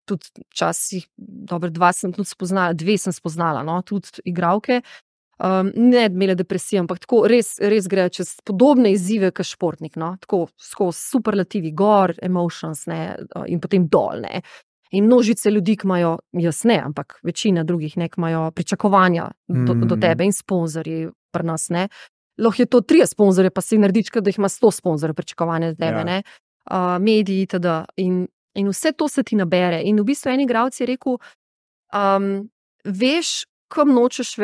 Tudi včasih, dobro, 2 sem tudi spoznala, 2 sem spoznala, no, tudi igralke. Ne imele depresije, ampak tako res grejo čez podobne izzive kot športnik, no, tako skozi superlativi, gor, emotions, ne, in potem dol, ne. In množice ljudi, ki imajo, jaz ne, ampak večina drugih, ne, ki imajo pričakovanja do tebe in sponzorji pri nas, ne. Lahko je to 3 sponzorje, pa si narediš, da jih ima 100 sponzorjev pričakovanja do tebe, ne. Mediji, itd. In vse to se ti nabere. In v bistvu en igralec je rekel, veš, kam nočeš,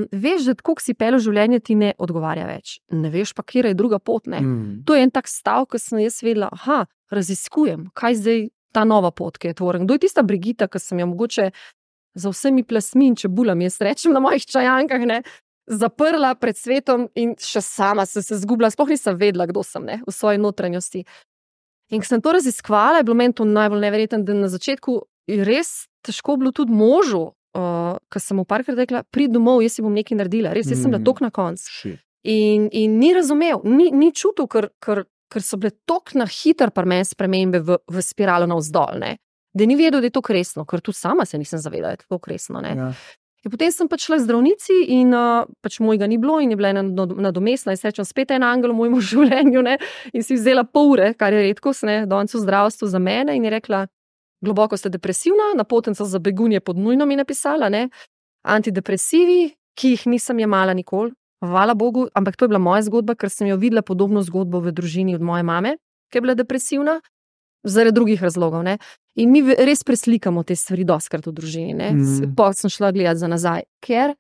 veš, da tako, ko si pel v življenje, ti ne odgovarja več. Ne veš pa, kje je druga pot, ne. To je en tak stav, ko sem jaz vedela, raziskujem, kaj zdaj ta nova pot, ki je tvoren. Kdo je tista Brigita, ki sem jo mogoče za vsemi plasmi in čebulami, jaz rečem na mojih čajankah, ne, zaprla pred svetom in še sama sem se zgubila, sploh nisem vedela, kdo sem, ne, v svoji notranjosti. In ko sem to raziskvala, je bilo meni to najbolj neverjetno, da na začetku je res težko bilo tudi možu, ko sem mu parkrat rekla, pridi domov, jaz si bom nekaj naredila, res, jaz sem bila toliko na koncu. In ni razumel, ni čutil, ker so bile toliko na hitro pri meni spremembe v spiralo navzdol, ne. Da ni vedel, da je to resno, ker tudi sama se nisem zavedala, da je to resno, ne. Ja. In potem sem pač šla k zdravnici in pač mojega ni bilo in je bila ena nadomestna in srečam spet en angel v mojem življenju, ne, in si vzela pol ure, kar je redkost, ne, danes v zdravstvu za mene in je rekla, globoko ste depresivna, napotnica za begunje pod nujno mi napisala, ne, antidepresivi, ki jih nisem jemala nikoli, hvala Bogu, ampak to je bila moja zgodba, ker sem jo videla podobno zgodbo v družini od moje mame, ki je bila depresivna, zaradi drugih razlogov, ne. In mi res preslikamo te stvari dostikrat v družini, ne. Potem sem šla gledati za nazaj, ker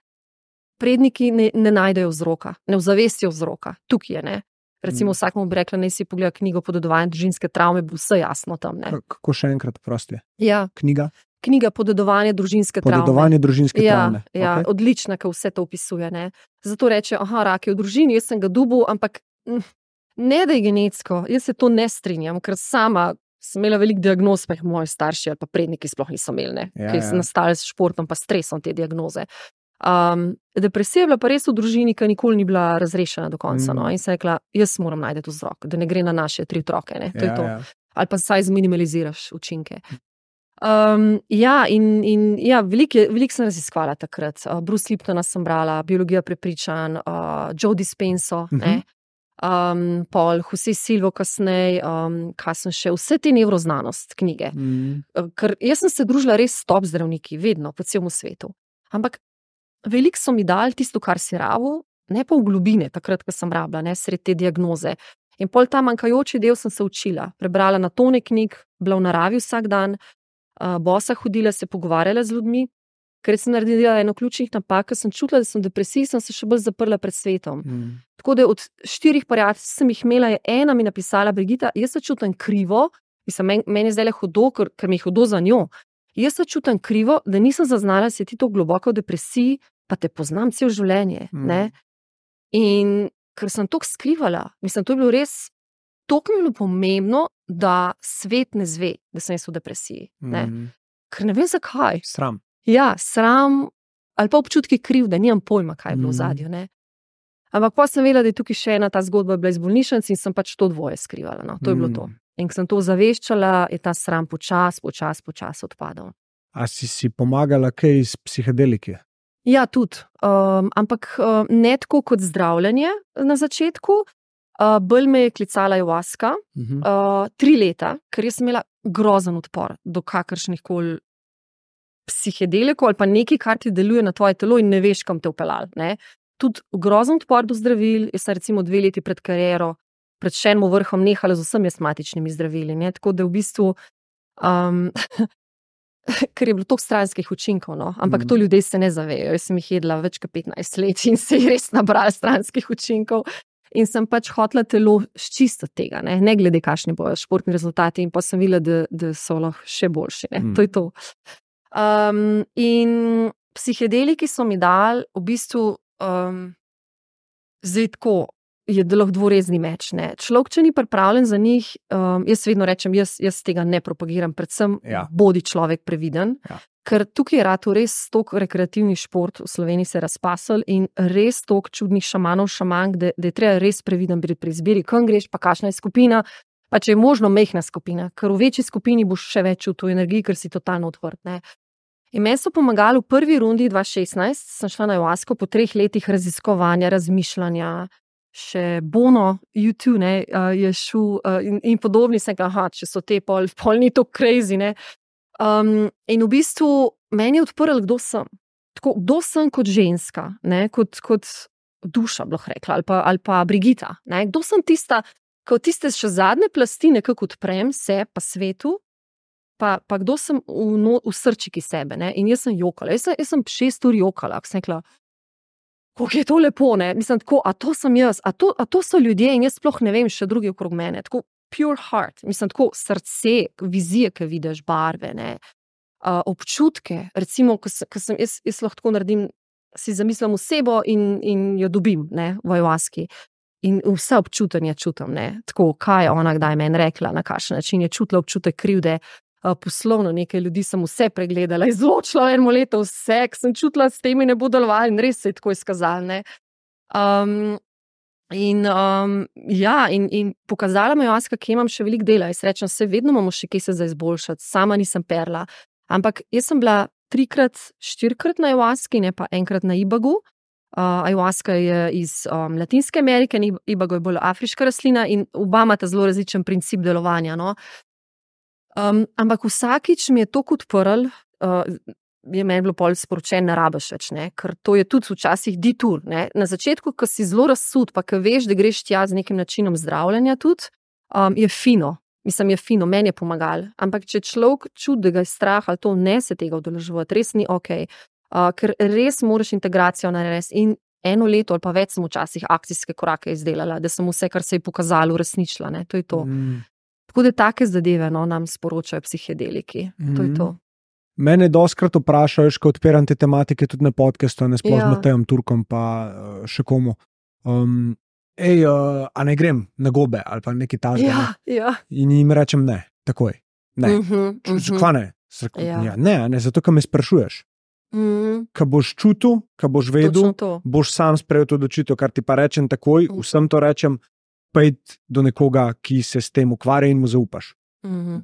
predniki ne najdejo vzroka, ne ozavestijo vzroka, tukaj je, ne. Recimo vsakmu bi rekla, naj si pogleda knjigo Podedovanje družinske travme, bo vse jasno tam, ne. Kako še enkrat, prosti? Ja. Knjiga Podedovanje družinske travme. Podedovanje družinske travme. Ja, okay. Odlična, ker vse to opisuje, ne. Zato reče, rak je v družini, jaz sem ga dobil, ampak ne da je genetsko, jaz se to ne strinjam, ker sama sem imela veliko diagnoz, pa jih moji starši ali pa predniki sploh niso imeli, ne, ki so nastali s športom pa stresom te diagnoze. Depresija je bila pa res v družini, ki nikoli ni bila razrešena do konca, no, in sem rekla, jaz moram najti vzrok, da ne gre na naše 3 otroke, ne, to je to. Ali pa saj zminimaliziraš učinke. Veliko sem raziskvala takrat. Bruce Liptona sem brala, Biologija prepričanj, Joe Dispenzo, Paul Jose Silvo kasneje, kaj sem še, vse te nevroznanost knjige. Ker jaz sem se družila res s top zdravniki, vedno, po celem svetu. Ampak veliko so mi dali tisto, kar si rabil, ne pa v globine, takrat, ko sem rabila, ne, sred te diagnoze. In pol ta manjkajoči del sem se učila, prebrala na tone knjig, bila v naravi vsak dan, bosa hodila, se pogovarjala z ljudmi, ker sem naredila eno ključnih napak, ker sem čutila, da sem v depresiji, sem se še bolj zaprla pred svetom. Tako da od 4 prijateljev sem jih imela, je ena mi napisala: Brigita, jaz se čutim krivo, meni je zdaj hudo, ker mi je hudo za njo. Jaz se čutim krivo, da nisem zaznala, da si ti to globoko v depresiji, pa te poznam cel življenje. Ne? In ker sem to skrivala, to je bilo res, to mi je bilo pomembno, da svet ne zve, da sem jaz v depresiji. Ne? Ker ne vem zakaj. Sram. Ja, sram, ali pa občutki krivde, nimam pojma, kaj je bilo v zadju. Ampak pa sem vedela, da je tukaj še ena ta zgodba bila iz bolnišnice in sem pač to dvoje skrivala. No? To je bilo to. In ko sem to zaveščala, je ta sram počas odpadal. A si pomagala kaj iz psihedelike? Ja, tudi. Ampak ne tako kot zdravljenje na začetku. Bolj me je klicala ayahuasca 3 leta, ker jaz sem imela grozen odpor do kakršnih koli psihedelikov ali pa nekaj, kar ti deluje na tvoje telo in ne veš, kam te upeljal. Tudi grozen odpor do zdravil. Jaz sem recimo 2 leti pred kariero, pred še enim vrhom nehala z vsemi astmatičnimi zdravili. Tako da v bistvu, ker je bilo toliko stranskih učinkov, no? Ampak to ljudje se ne zavejo. Jaz sem jih jedla več kot 15 let in se je res nabrala stranskih učinkov. In sem pač hotela telo ščistiti tega, ne glede kakšni bojo športni rezultati, in pa sem videla, da so lahko še boljši. To je to. In psihedeliki so mi dali v bistvu zdaj tako, je lahko dvorezni meč. Človek, če ni pripravljen za njih, jaz vedno rečem, jaz tega ne propagiram, predvsem bodi človek previden. Ker tukaj je rato res toliko rekreativni šport, v Sloveniji se je razpasel in res toliko čudnih šamanov, šamank, da je treba res previden biti pri izbiri, kam greš, pa kakšna je skupina, pa če je možno majhna skupina, ker v večji skupini boš še več čutil energiji, ker si totalno odprt. In meni so pomagali v prvi rundi 2016, sem šla na ayahuasco po 3 letih raziskovanja, razmišljanja, še Bono, YouTube, je šel in podobni, sem rekla, če so te pol ni to crazy, in v bistvu meni je odprl, kdo sem. Tako, kdo sem kot ženska, kot duša, bi lahko rekla, ali pa Brigita. Kdo sem tista, kot tiste še zadnje plasti nekako odprem se pa svetu, pa kdo sem v srčiki sebe. In jaz sem jokala. Jaz sem 6 ur jokala, ko sem rekla, kako je to lepo. Tako, a to sem jaz, a to so ljudje in jaz sploh ne vem še drugi okrog mene. Tako, pure heart, tako srce, vizije, ki vidiš, barve, občutke, recimo, ko sem jaz lahko tako naredim, si zamislim osebo in jo dobim, v ayahuasci. In vse občutenje čutim, tako, kaj je ona kdaj meni rekla, na kakšen način je čutila občutek krivde, poslovno nekaj ljudi sem vse pregledala, izločila eno leto vse, ki sem čutila, s temi ne bo delovalo in res se je tako izkazalo, In pokazala mi ayahuasca, kje imam še veliko dela. Jaz rečem, vedno imamo še kaj se za izboljšati, sama nisem perla. Ampak jaz sem bila 3-4 na ayahuasci, ne pa enkrat na ibagu. Ayahuasca je iz Latinske Amerike, ibago je bolj afriška rastlina in oba imata zelo različen princip delovanja. Ampak vsakič mi je to odprl, je meni bilo pol sporočen, ne rabiš več, ker to je tudi včasih detour. Na začetku, ko si zelo razsud, pa ko veš, da greš tja z nekim načinom zdravljenja tudi, je fino. Je fino, meni je pomagalo. Ampak če človek čuti, da ga je strah ali to, ne se tega udeleževati, res ni okej. Ker res moraš integracijo narediti in 1 leto ali pa več sem včasih akcijske korake izdelala, da sem vse, kar se je pokazalo, uresničila. To je to. Tako da take zadeve nam sporočajo psihedeliki. To je to. Mene dostikrat vprašajo, ko odpiram te tematike tudi na podcastu, ne sploh z Matejem Turkom pa še komu. A ne grem na gobe ali pa nekaj takega. In jim rečem ne, takoj. Ne. Kva ne? Ne, zato, ker me sprašuješ. Ko boš čutil, ko boš vedel, boš sam sprejel to odločitev, kar ti pa rečem takoj, vsem to rečem, pojdi do nekoga, ki se s tem ukvarja in mu zaupaš.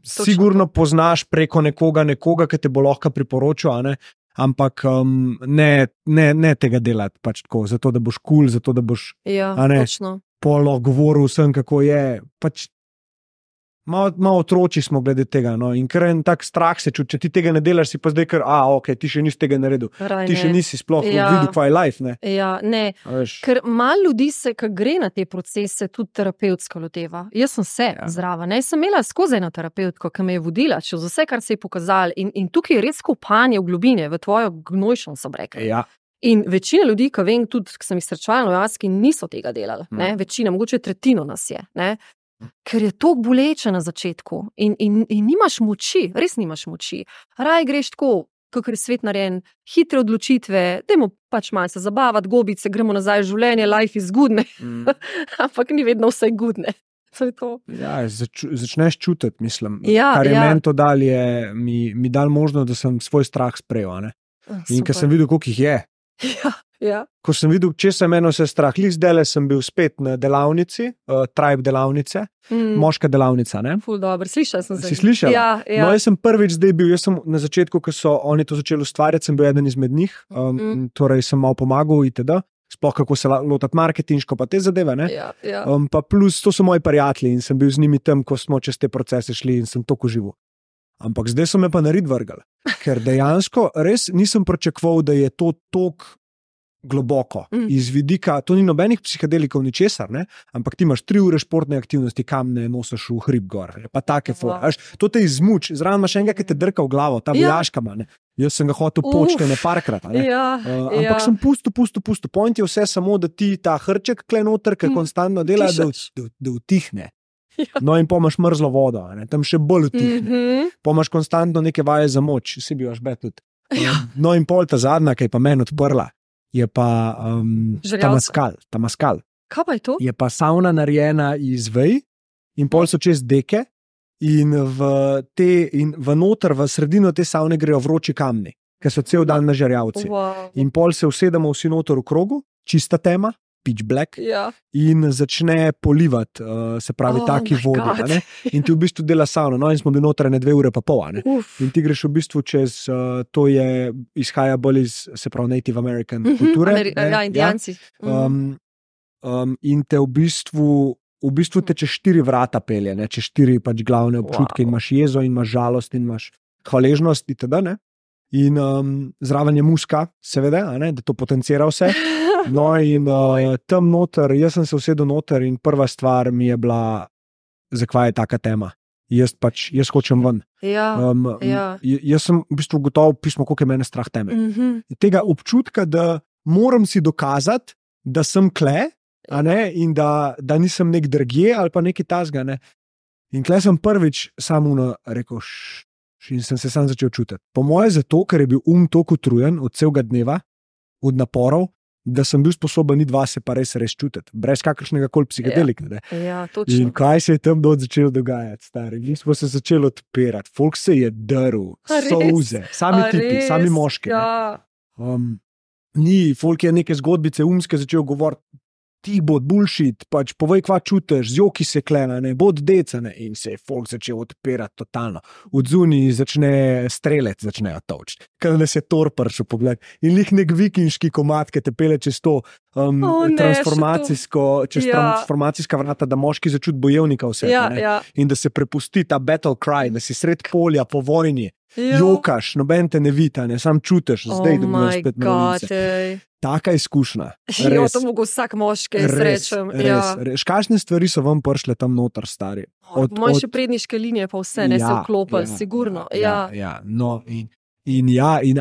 Sigurno poznaš preko nekoga, ki te bo lahko priporočil, a ne? Ampak ne tega delati pač tako, zato da boš kul, zato da boš polo govoril vsem, kako je. Pač malo otroči smo glede tega, no, in ker en tak strah se čuti, če ti tega ne delaš, si pa zdaj kar, ok, ti še nisi tega naredil, ti še nisi sploh videl, kaj je life, ne. Ja, ne, ker malo ljudi se, ko gre na te procese, tudi terapevtsko loteva. Jaz sem se zraven, ne, sem imela skozi eno terapeutko, ki me je vodila, čez vse, kar se je pokazalo, in tukaj je res kopanje v globine, v tvojo gnojšo, sem rekla. Ja. In večina ljudi, ki vem, tudi, ki sem jih srečevala v Jaski, niso tega delali, ne, večina, mogoče tretjino nas je, ne. Ker je to boleče na začetku in nimaš moči, res nimaš moči. Raj greš tako, kakor je svet narejen, hitre odločitve, dajmo pač malo se zabavati, gobice, gremo nazaj v življenje, life is good, ne. Ampak ni vedno vse good, ne. Ja, začneš čutiti, mislim. Kar je meni to dal, je mi dal možnost, da sem svoj strah sprejel, ne. In ker sem videl, koliko jih je. Ja. Ko sem videl, če se meni vse strah, zdajle sem bil spet na delavnici, tribe delavnice, moška delavnica, ne? Ful dobro, slišala sem se. Si slišala? Ja. No, jaz sem prvič zdaj bil, jaz sem na začetku, ko so oni to začeli ustvarjati, sem bil eden izmed njih, torej sem malo pomagal itd., sploh kako se lotati marketinško, pa te zadeve, ne? Ja. Pa plus, to so moji prijatelji in sem bil z njimi tam, ko smo čez te procese šli in sem toliko živel. Ampak zdaj so me pa nared vrgali, ker dejansko res nisem pričakoval, da je to toliko globoko. Iz vidika, to ni nobenih psihedelikov ničesar, ne? Ampak ti imaš 3 ure športne aktivnosti, kamne nosiš v hrib gor, pa take fore. To te izmuč, zraven imaš enega, ki te drka v glavo, ta vojaška ima, ne? Jaz sem ga hotel početi parkrat, ne? Ampak sem pustil. Point je vse samo, da ti ta hrček kle noter, ki konstantno dela, da utihne. No in pomaš mrzlo vodo, ne? Tam še bolj utihne. Pomaš konstantno neke vaje za moč, si bi vaš bet tudi. No in pol ta zadnja, ki je pa meni odprla, je pa Tamaskal. Kaj pa je to? Je pa sauna narejena iz vej in pol so čez deke in v noter, v sredino te savne grejo vroči kamni, ki so cel dan na žerjavci. Wow. In pol se usedemo vsi noter v krogu, čista tema, pitch black, in začne polivati, se pravi, taki vodi. Ne? In ti v bistvu dela savno. No, in smo bili notranje 2 ure pa pol. In ti greš v bistvu čez, to je, izhaja bolj iz, se pravi, Native American kulture. Indijanci. In te v bistvu te čez 4 vrata pelje, ne? Čez 4 pač glavne občutke. In imaš jezo, in imaš žalost, in imaš hvaležnost, itd., ne? In zraven je muska, seveda, da to potencira vse. No in tam noter, jaz sem se usedel noter in prva stvar mi je bila, zakaj je taka tema. Jaz hočem ven. Jaz sem v bistvu gotovo pismo, koliko je mene strah teme. Tega občutka, da moram si dokazati, da sem kle, in da nisem nek drugje ali pa nekaj tasga. Ne? In kle sem prvič samo rekel, in sem se sam začel čutiti. Po moje zato, ker je bil toliko utrujen od celega dneva, od naporov, da sem bil sposoben iti vase pa res čutiti, brez kakršnega koli psihedelika. Točno. In kaj se je tam začelo dogajati, stari? Mi smo se začeli odpirati, folk se je drl, solze, sami tipi, sami moški. Folk je neke zgodbice umske začel govoriti, ti bod bullshit, pač povej, kva čutiš, z joki se klena, ne, bod decane, in se je folk začel odpirati totalno. Od zunaj začne strelec, začnejo točiti. Kaj nas je Thor prišel pogled. In lik nek vikinški komad, ki te pele čez to transformacijska vrata, da moški začuti bojevnika vse. In da se prepusti ta battle cry, da si sred polja po vojni, jokaš, noben te ne vita, ne, sam čutiš, zdaj dobijo spet novice. Taka izkušnja. To mogo vsak moški srečem. Res. Kakšne stvari so vam prišle tam noter, stari? Moje še predniške linije pa vse, ne se vklopili, sigurno. No, in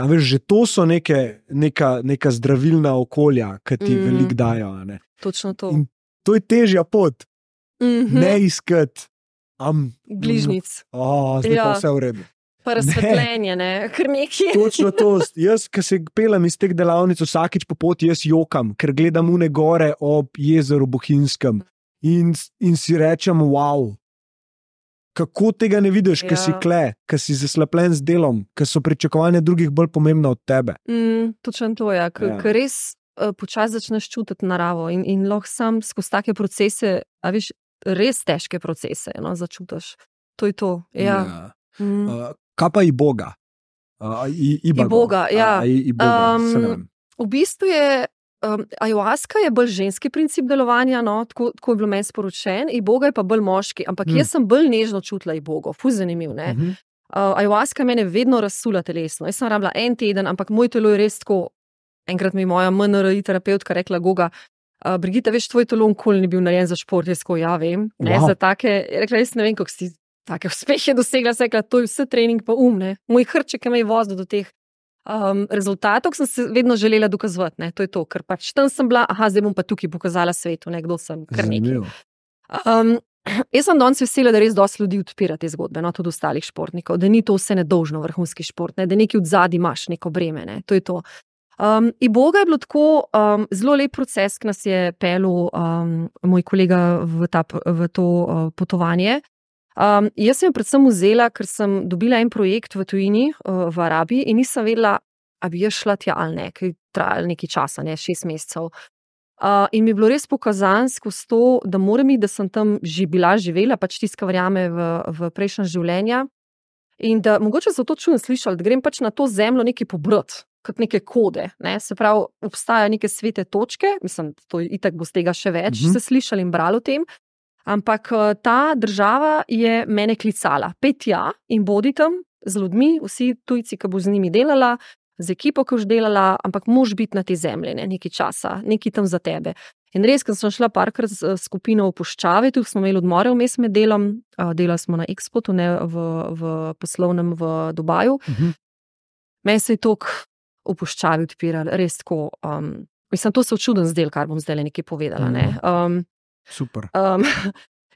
veš, že to so neka zdravilna okolja, ki ti veliko dajo. Ne? Točno to. In to je težja pot. Ne iskati bližnic. Zdaj pa vse v redu. Pa razsvetljenje, ne, ker nekje. Točno to. Jaz, ko se pelem iz teh delavnic, vsakič po poti jaz jokam, ker gledam une gore ob jezeru Bohinjskem in si rečem, wow, kako tega ne vidiš, ker si kle, ker si zaslepljen z delom, ker so pričakovanja drugih bolj pomembna od tebe. Točno to, ker res počasi začneš čutiti naravo in lahko sam skozi take procese, res težke procese, začutiš. to je to. Ja. Kaj pa Iboga? Iboga, ja. Se ne vem. V bistvu je Ayahuasca je bolj ženski princip delovanja, no, tako je bilo meni sporočen, Iboga je pa bolj moški, ampak jaz sem bolj nežno čutila Ibogo, ful zanimiv, ne. Ayahuasca mene vedno razsula telesno, jaz sem rabila 1 teden, ampak moj telo je res tako, enkrat mi moja MNRI terapeutka rekla, Goga, Brigita, veš, tvoj telo nikoli ni bil narejen za šport, jaz tako, ja, vem, ne, za take, rekla, jaz ne vem, kako si take uspehe dosegla, se rekla, to je vse trening pa ne, moj hrček je me vozil do teh rezultatov, sem se vedno želela dokazovati, ne, to je to, ker pač tam sem bila, zdaj bom pa tukaj pokazala svetu, ne, kdo sem, kar nekaj. Jaz sem danes vesela, da res dosti ljudi odpira te zgodbe, no, tudi ostalih športnikov, da ni to vse nedolžno vrhunski šport, ne, da nekaj odzadaj imaš neko breme, ne, to je to. Iboga je bilo tako zelo lep proces, ki nas je pelil moj kolega v to potovanje. Jaz sem jo predvsem vzela, ker sem dobila en projekt v tujini, v Arabiji in nisem vedela, a bi jaz šla tja ali ne, ker je trajalo nekaj časa, ne, 6 mesecev. In mi je bilo res pokazano skozi to, da moram iti, da sem tam bila živela, pač tiska verjame v prejšnja življenja in da mogoče so to čudno slišali, da grem pač na to zemljo nekaj pobrati, kot neke kode, ne, se pravi, obstajajo neke svete točke, mislim, to itak bo z tega še več, se slišali in brali o tem. Ampak ta država je mene klicala, pej tja in bodi tam z ljudmi, vsi tujci, ki bo z njimi delala, z ekipo, ki boš delala, ampak moraš biti na te zemlji, ne, nekaj časa, nekaj tam za tebe. In res, ker sem šla parkrat z skupino v puščavi, tu smo imeli odmore vmes med delom, delali smo na Expotu, ne, v poslovnem v Dubaju. Meni se je toliko v puščavi odpiralo, res tako, mislim, to se čuden zdel, kar bom zdaj nekaj povedala, ne. Super.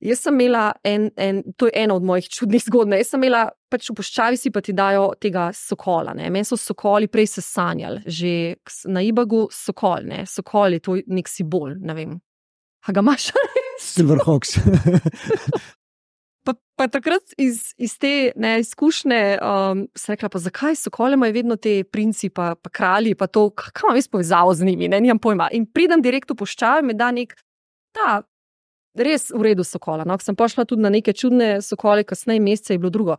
Jaz sem imela to je ena od mojih čudnih zgodb, jaz sem imela, pač v puščavi si pa ti dajo tega sokola, ne, meni so sokoli prej se sanjali, že na Ibagu sokol, ne, sokol je to nek simbol, ne vem, a ga imaš? Silverhawks. Pa takrat iz te izkušnje sem rekla, pa zakaj sokole imajo vedno te princi, pa kralji, pa to, kaj imam jaz povezavo z njimi, ne, nimam pojma. In pridem direkt v puščavi, me da nek res v redu sokola, no, ko sem pošla tudi na neke čudne sokole, kasneje mesece je bilo drugo.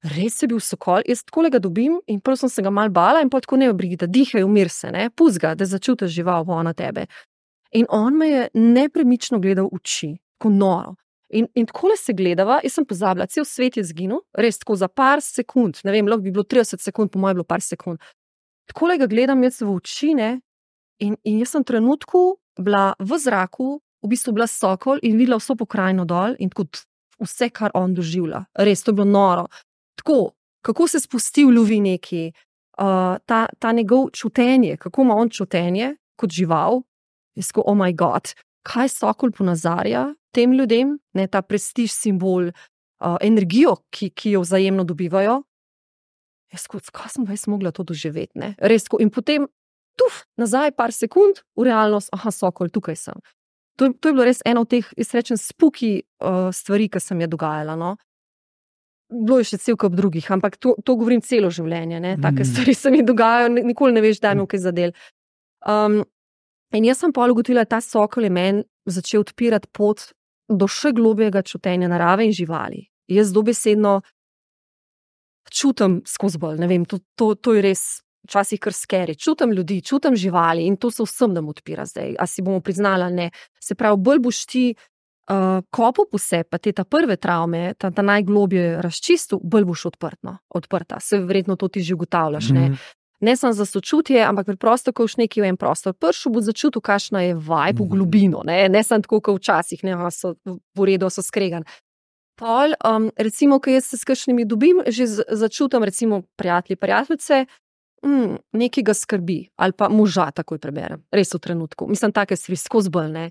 Res je bil sokol, jaz takole ga dobim in prvo sem se ga mal bala in potem tako ne, Brigita, dihaj, umir se, ne, pusti ga, da začutiš žival na tebe. In on me je nepremično gledal v oči, tako noro. In takole se gledava, jaz sem pozabila, cel svet je zginil, res tako za par sekund, ne vem, lahko bi bilo 30 sekund, po moje je bilo par sekund. Takole ga gledam jaz v oči, ne, in jaz sem trenutku bila v zraku, v bistvu bila sokol in videla vso pokrajino dol in tako vse, kar on doživlja. Res, to je bilo noro. Tako, kako se spusti v ljubi neki, ta njegov čutenje, kako ima on čutenje kot žival, jaz tako, oh my god, kaj sokol ponazarja tem ljudem, ne, ta prestiž, simbol, energijo, ki jo vzajemno dobivajo. Jaz tako, kaj sem jaz mogla to doživeti, ne, res tako, in potem nazaj par sekund, v realnost, sokol, tukaj sem. To je bilo res ena od teh, jaz rečem, spooky stvari, ki sem je dogajala, no. Bilo je še cel kup drugih, ampak to govorim celo življenje, ne, take stvari se mi dogajajo, nikoli ne veš, da mi kaj zadel. In jaz sem pol ugotovila, ta sokol je meni začel odpirati pot do še globjega čutenja narave in živali. Jaz dobesedno čutim skozi bolj, ne vem, to je res včasih kar scary. Čutim ljudi, čutim živali in to se vsem nam odpira zdaj. A si bomo priznala, ne. Se pravi, bolj boš ti kopal po sebi, pa te ta prve travme, ta najglobje razčistil, bolj boš odprta. Se verjetno to ti že ugotavljaš, ne. Ne samo za sočutje, ampak preprosto, ko boš nekaj v en prostor prišel, boš začutil, kakšna je vibe v globino, ne samo tako, kot včasih, ne, so v redu, so skregan. Pol, recimo, ko jaz se s kakšnimi dobim, že začutim, recimo, prijateljice, nekaj ga skrbi, ali pa moža takoj preberem, res v trenutku. Mislim, take stvari skozi bolj, ne.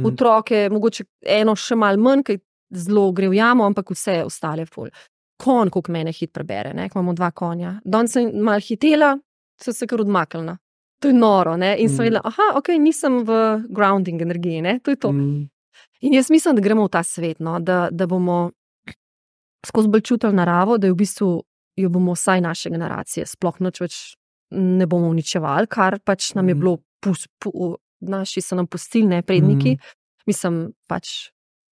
Otroke, mogoče eno še malo manj, kaj zelo gre v jamo, ampak vse ostale ful. Konj, koliko mene hit prebere, ne, ko imamo 2 konja. Danes sem malo hitela, sem se kar odmaknila. To je noro, ne, in sem vedela, ok, nisem v grounding energiji, ne, to je to. In jaz mislim, da gremo v ta svet, no, da bomo skozi bolj čutili naravo, da je v bistvu jo bomo vsaj naše generacije sploh nič več ne bomo uničevali, kar pač nam je bilo, naši so nam pustili, ne, predniki. Mislim, pač,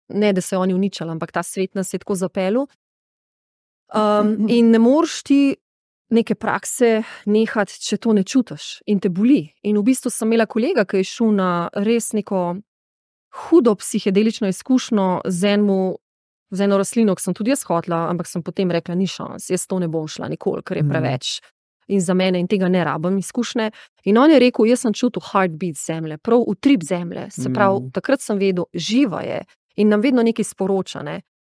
ne, da se oni uničali, ampak ta svet nas je tako zapeljal. In ne moreš ti neke prakse nehati, če to ne čutiš in te boli. In v bistvu sem imela kolega, ki je šel na res neko hudo psihedelično izkušnjo z eno rastlino, ki sem tudi jaz hotela, ampak sem potem rekla, ni šans, jaz to ne bom šla nikoli, ker je preveč. In za mene in tega ne rabim izkušnje. In on je rekel, jaz sem čutil heartbeat zemlje, prav utrip zemlje. Se pravi, takrat sem vedel, živa je in nam vedno nekaj sporoča. Ne?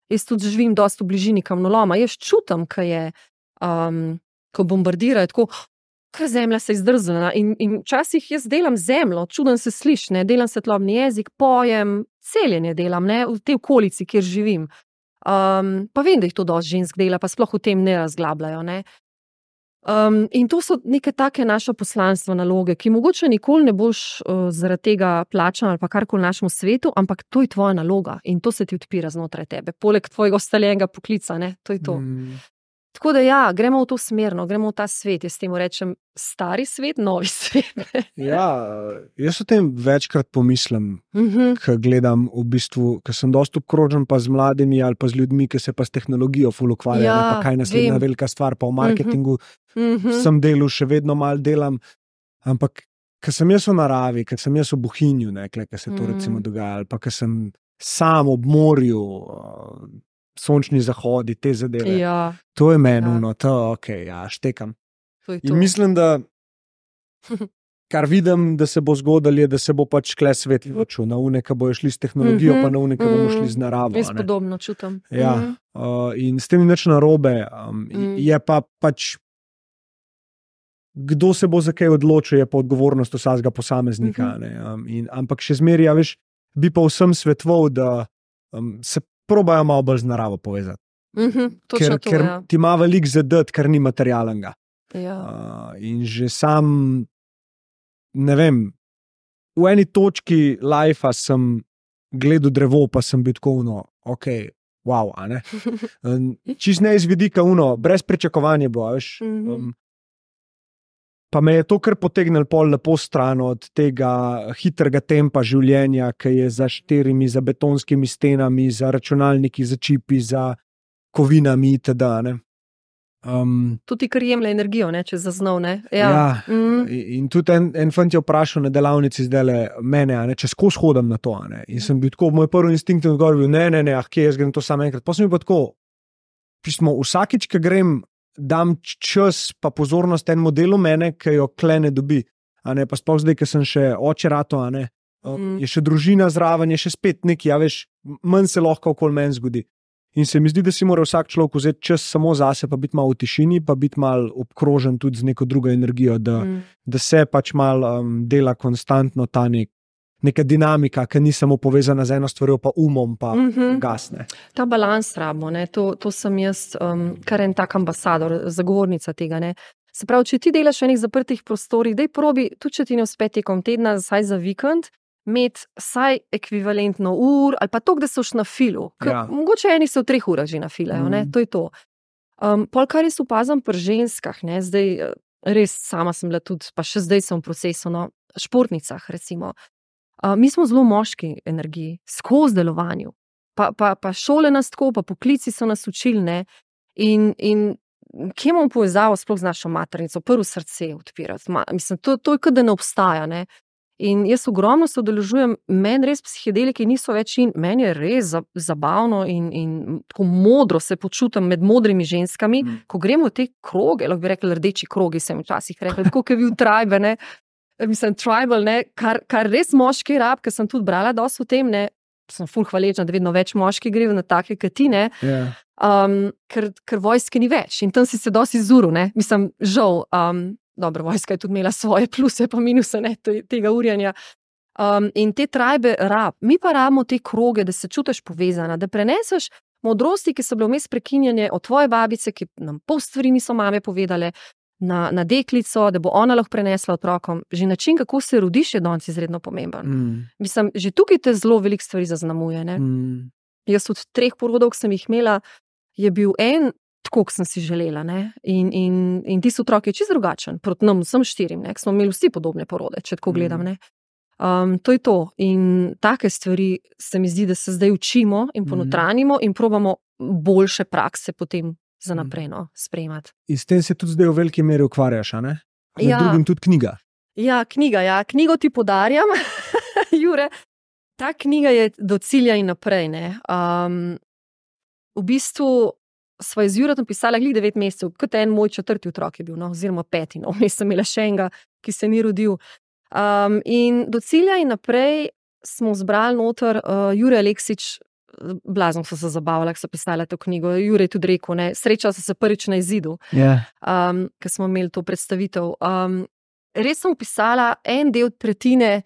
Jaz tudi živim dosti v bližini kamnoloma. Jaz čutim, kaj je, ko bombardirajo, tako, kaj zemlja se je zdrznila. In včasih jaz delam zemljo, čudem se sliš, ne? Delam svetlobni jezik, pojem, celjenje delam, ne? V tej okolici, kjer živim. Pa vem, da jih to dosti žensk dela, pa sploh v tem ne razglabljajo, ne? In to so neke take naše poslanstva, naloge, ki mogoče nikoli ne boš zaradi tega plačan ali pa karkoli v našem svetu, ampak to je tvoja naloga in to se ti odpira znotraj tebe, poleg tvojega ustaljenega poklica, ne, to je to. Tako da ja, gremo v to smerno, gremo v ta svet, jaz temu rečem stari svet, novi svet. Ja, jaz o tem večkrat pomislim, ko gledam v bistvu, ko sem dosti obkrožen pa z mladimi ali pa z ljudmi, ki se pa s tehnologijo ful ukvarjajo, Ja, pa kaj naslednja vem. velika stvar, pa v marketingu sem delal, še vedno malo delam, ampak ko sem jaz v naravi, ko sem jaz v Bohinju, ne, ko se to recimo dogaja, ali pa ko sem sam ob morju, sončni zahodi, te zadeve. Ja, To je meni, Ja. to ok, ja, štekam. to je to. In mislim, da kar vidim, da se bo zgodilo, je, da se bo pač kle svet ločil na une, ki bojo šli s tehnologijo, pa na une, ki bomo šli z naravo. Jaz a ne. podobno čutim. Ja, in s tem ni nič narobe, je pa pač kdo se bo za kaj odločil, je pa odgovornost vsakega posameznika. Ne, ampak še zmeraj, ja, veš, bi pa vsem svetoval, da se probajo malo bolj z naravo povezati. Točno to, ker ja. ti ima veliko zadeti, kar ni materialnega. Ja. In že sam, ne vem, v eni točki lajfa sem gledal drevo, pa sem bil tako, ok, wow, a ne. Čist ne iz vidika, brez pričakovanja bo, veš. Pa me je to kar potegnilo pol lepo stran od tega hitrega tempa življenja, ki je za štirimi, za betonskimi stenami, za računalniki, za čipi, za kovinami itd. Ne. Tudi kar jemlje energijo, ne, če zaznov, ne. Ja, in tudi en fant je vprašal na delavnici zdajle mene, a ne, če skozi hodam na to, a ne. In sem bil tako, moj prvi instinkt je odgovor bil, ne, kje jaz grem to samo enkrat. Pa sem bil pa tako, pismo, vsakič, ko grem, dam čas pa pozornost enemu delu mene, ki jo kle ne dobi, a ne, pa sploh zdaj, ker sem še oče rato, a ne, je še družina zraven, je še spet neki, ja, veš, manj se lahko okoli meni zgodi. In se mi zdi, da si mora vsak človek vzeti čas samo zase, pa biti malo v tišini, pa biti malo obkrožen tudi z neko drugo energijo, da se pač malo dela konstantno ta neka dinamika, ki ni samo povezana z eno stvarjo, pa umom, pa gasne. Ta balans rabimo, ne, to sem jaz, kar en tak ambasador, zagovornica tega, ne. Se pravi, če ti delaš v enih zaprtih prostorih, daj probi, tudi če ti ne uspe tekom tedna, saj za vikend, imeti saj ekvivalentno ur, ali pa to, da so na filu. Ja. Mogoče eni se v 3 urah že nafilajo, ne, to je to. Pol, kar jaz opazam pri ženskah, ne, zdaj res sama sem bila tudi, pa še zdaj sem v procesu, športnicah recimo. Mi smo zelo moški energiji, skozi delovanju. Pa šole nas tako, pa poklici so nas učili, ne. In kje imamo povezavo sploh z našo maternico, prvo srce odpirati. Mislim, to je kot da ne obstaja, ne. In jaz ogromno se udeležujem, meni res psihedeliki niso več in meni je res zabavno in tako modro se počutim med modrimi ženskami, ko gremo v te kroge, lahko bi rekli rdeči krogi, sem včasih rekla, tako kot je bil tribe, ne. Mislim, tribal, ne, kar res moški rab, ker sem tudi brala dosti o tem, ne, sem ful hvaležna, da vedno več moški gre na take kot ti, ne, ker vojske ni več in tam si se dosti izuril, ne, mislim, žal, dobro, vojska je tudi imela svoje pluse pa minuse, ne, tega urjanja. In te tribe rab, mi pa rabimo te kroge, da se čutiš povezana, da preneseš modrosti, ki so bile vmes prekinjene od tvoje babice, ki nam pol stvari niso mame povedale, na deklico, da bo ona lahko prenesla otrokom. Že način, kako se rodiš, je danes izredno pomemben. Mislim, že tukaj te zelo veliko stvari zaznamuje, ne. Jaz od 3 porodov, ki sem jih imela, je bil en tako, kot sem si želela, ne. In tisti otrok je čisto drugačen, proti nam vsem 4, ne, smo imeli vsi podobne porode, če tako gledam, ne. To je to. In take stvari se mi zdi, da se zdaj učimo in ponotranimo in probamo boljše prakse potem za naprej sprejemati. In s tem se tudi zdaj v veliki meri ukvarjaš, a ne? Med drugim tudi knjiga. Ja, knjigo ti podarjam, Jure. Ta knjiga je do cilja in naprej, ne. V bistvu sva z Juretom pisala 9 mesecev, kot en moj 4. otrok je bil, oziroma 5. Vmes sem imela še enega, ki se ni rodil. In do cilja in naprej smo zbrali noter Jure Aleksič, blazno so se zabavali, ko so pisali to knjigo. Jure je tudi rekel, ne, srečala so se prvič na izidu, ko smo imeli to predstavitev. Res sem pisala en del tretjine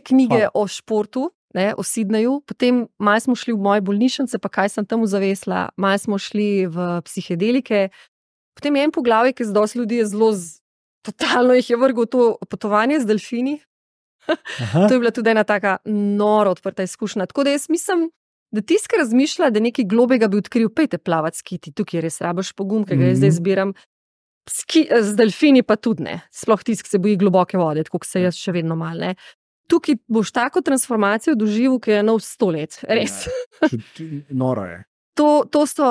knjige o športu, ne, o Sydneyju, potem malo smo šli v moje bolnišnice, pa kaj sem tam zavesla, malo smo šli v psihedelike, potem je en poglavje, ki dosti ljudi je zelo totalno jih je vrgel to potovanje z delfini. To je bila tudi ena taka noro odprta izkušnja. Tako da jaz mislim, da tisti, ki razmišlja, da nekaj globega bi odkril, pejte plavati s kiti, tukaj res rabiš pogum, ki ga jaz zdaj zbiram. Z delfini pa tudi ne, sploh tisti, ki se boji globoke vode, tako se jaz še vedno mal, ne. Tukaj boš tako transformacijo doživel, ki je nov 100 let, res. Noro je. To so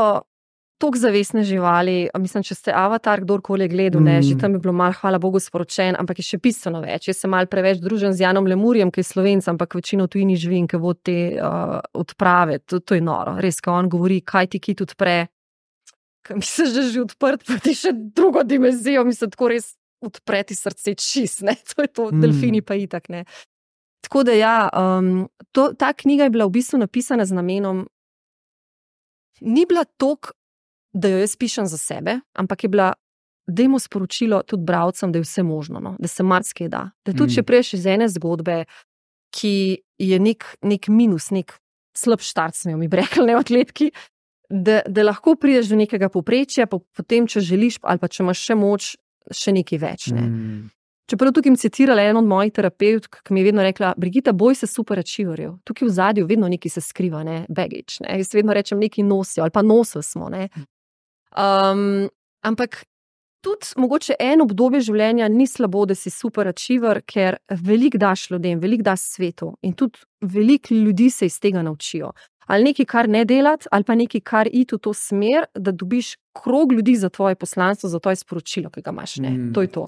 toliko zavestne živali, mislim, če ste Avatar, kdorkoli gledal, ne, že tam je bilo malo, hvala Bogu, sporočen, ampak je še bistveno več. Jaz sem malo preveč družen z Janom Lemurjem, ki je Slovenc, ampak večino tujini živim, ki vodi te odprave, to je noro. Res, ko on govori, kaj ti kit odpre, misliš, da je že odprt, pa ti še drugo dimenzijo, mislim, tako res odpreti srce čist, ne, to je to, delfini pa itak, ne. Tako da ja, ta knjiga je bila v bistvu napisana z namenom, ni bila toliko, da jo jaz pišem za sebe, ampak je bila, dajmo sporočilo tudi bralcem, da je vse možno, no, da se marsikaj da. Da tudi če prejš iz ene zgodbe, ki je nek minus, nek slab štart, smo mi rekli, ne, atletki, da lahko prideš do nekega povprečja, potem, če želiš, ali pa če imaš še moč, še nekaj več, ne. Čeprav tukaj mi citirala eno od mojih terapevtk, ki mi je vedno rekla, Brigita, boj se superachieverjev. Tukaj v zadju vedno nekaj se skriva, ne, baggage, ne. Jaz vedno rečem, nekaj nosijo, ali pa nosili smo, ne. Ampak tudi mogoče eno obdobje življenja ni slabo, da si superachiever, ker veliko daš ljudem, veliko daš svetu in tudi veliko ljudi se iz tega naučijo. Ali nekaj, kar ne delati, ali pa nekaj, kar iti v to smer, da dobiš krog ljudi za tvoje poslanstvo, za tvoje sporočilo, ki ga imaš, ne. To je to.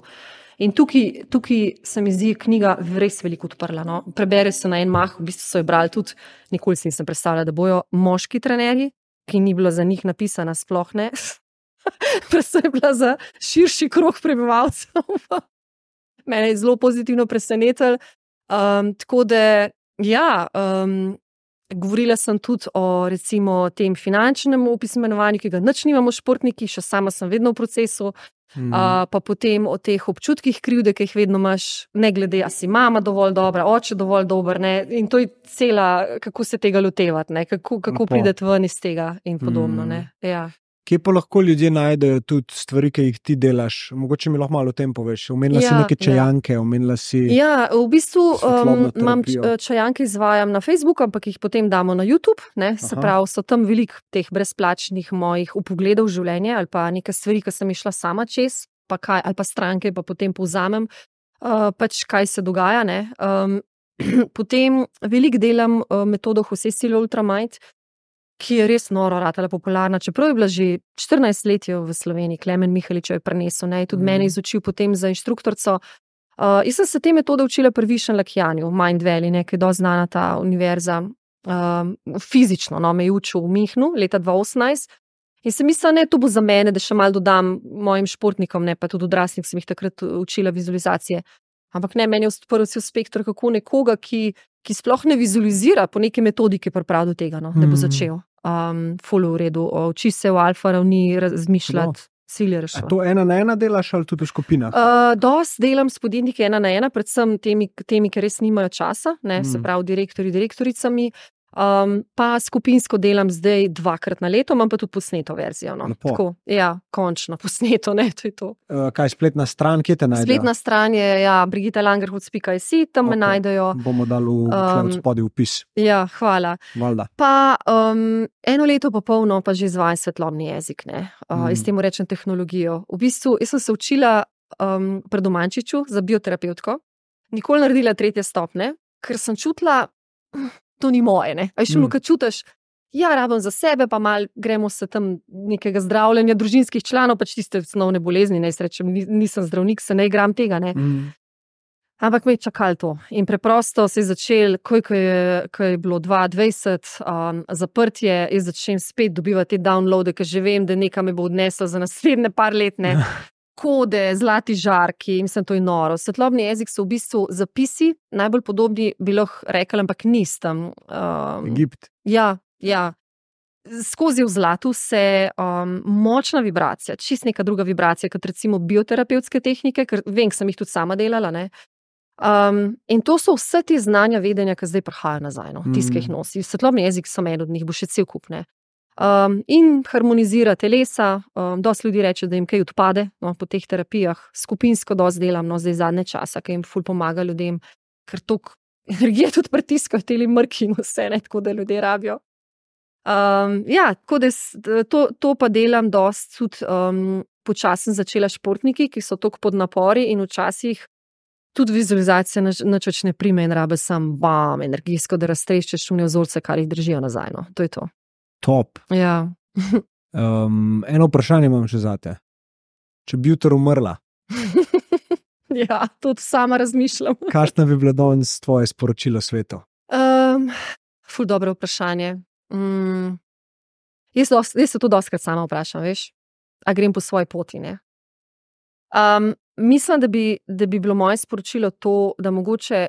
In tukaj se mi zdi knjiga res veliko odprla, no. Prebere se na en mah, v bistvu so jo brali tudi, nikoli si nisem predstavljala, da bojo moški trenerji, ki ni bilo za njih napisana, sploh ne. Predvsem je bila za širši krog prebivalcev. Mene je zelo pozitivno presenetilo. Tako da, ja, govorila sem tudi o recimo tem finančnem opismenovanju, ki ga nič nimamo športniki, še sama sem vedno v procesu, pa potem o teh občutkih krivde, ki jih vedno imaš, ne glede, a si mama dovolj dobra, oče dovolj dober, ne, in to je cela, kako se tega lotevati, ne, kako prideti ven iz tega in podobno, ne, ja. Kje pa lahko ljudje najdejo tudi stvari, ki jih ti delaš? Mogoče mi lahko malo o tem poveš. Omenila si neke čajanke, omenila si... Ja, v bistvu imam čajanke, izvajam na Facebooku, ampak jih potem damo na YouTube, ne, se pravi, so tam veliko teh brezplačnih mojih vpogledov v življenje ali pa neke stvari, ki sem išla sama čez, pa kaj, ali pa stranke, pa potem povzamem, pač kaj se dogaja, ne. Potem veliko delam metodo Jose Silva Ultramind, ki je res noro ratala popularna, čeprav je bila že 14 let v Sloveniji, Klemen Mihalič jo je prinesel, ne, tudi mene izučil potem za inštruktorico. Jaz sem se te metode učila pri Višen Lakjanju, v Mind Valley, ne, ki je dosti znana ta univerza, fizično, no, me je učil v Mihnu leta 2018 in sem mislila, ne, to bo za mene, da še malo dodam mojim športnikom, ne, pa tudi odraslih sem jih takrat učila vizualizacije. Ampak ne, meni je odprl cel spekter, kako nekoga, ki sploh ne vizualizira po neki metodiki priprav do tega, no, da bo začel. Ful v redu, uči se v alfa ravni razmišljati, cilje reševati. A to 1-1 delaš ali tudi v skupinah? Dosti delam s podjetniki 1-1, predvsem temi, ki res nimajo časa, ne, se pravi direktorji, direktoricami, pa skupinsko delam zdaj 2-krat na leto, imam pa tudi posneto verzijo, no. Tako, ja, končno posneto, ne, to je to. Kaj, spletna stran, kje te najdejo? Spletna stran je, ja, brigitalangerhut.si, tam me najdejo. Bomo dali v spodaj vpis. Ja, hvala. Valda. Pa eno leto pa polno pa že izvajam svetlobni jezik, ne. Jaz temu rečem tehnologijo. V bistvu, jaz sem se učila pri Domančiču za bioterapevtko, nikoli naredila 3. stopnje, ker sem čutila, to ni moje, ne. A še kad čutiš, Ja, rabim za sebe, pa mal gremo se tam nekega zdravljenja družinskih članov, pač tiste osnovne bolezni, ne rečem, nisem zdravnik, se ne igram tega, ne. Ampak me je čakalo to. In preprosto se je začel, ko je bilo 2020 zaprtje, jaz začnem spet dobivati te downloade, ker že vem, da nekaj me bo odneslo za naslednje par let, ne. Kode, zlati žarki, mislim, to je noro. Svetlobni jezik so v bistvu zapisi, najbolj podobni bi lahko rekli, ampak nisem. Egipt. Ja. Skozi v zlatu se močna vibracija, čist neka druga vibracija, kot recimo bioterapevtske tehnike, ker vem, ker sem jih tudi sama delala, ne. In to so vse te znanja, vedenja, ki zdaj prihajajo nazaj, no, tiske jih nosi. Svetlobni jezik so en od njih, bo še cel kup, ne. In harmonizira telesa, dosti ljudi reče, da jim kaj odpade, no, po teh terapijah, skupinsko dosti delam, no, zdaj zadnje časa, ki jim ful pomaga ljudem, ker toliko energije tudi pritiskajo teli mrki in vse, ne, tako da ljudje rabijo. Ja, tako da to pa delam dosti tudi počasno začela športniki, ki so toliko pod napori in včasih tudi vizualizacija nič več ne prime in rabe sam energijsko, da raztreščeš šune vzorce, kar jih držijo nazaj, no, to je to. Top. Ja. Eno vprašanje imam še zate. Če bi jutro umrla? Ja, tudi sama razmišljam. Kakšno bi bilo danes tvoje sporočilo svetu? Ful dobro vprašanje. Jaz se to dostikrat sama vprašam, veš, a grem po svoji poti, ne. Mislim, da bi bilo moje sporočilo to, da mogoče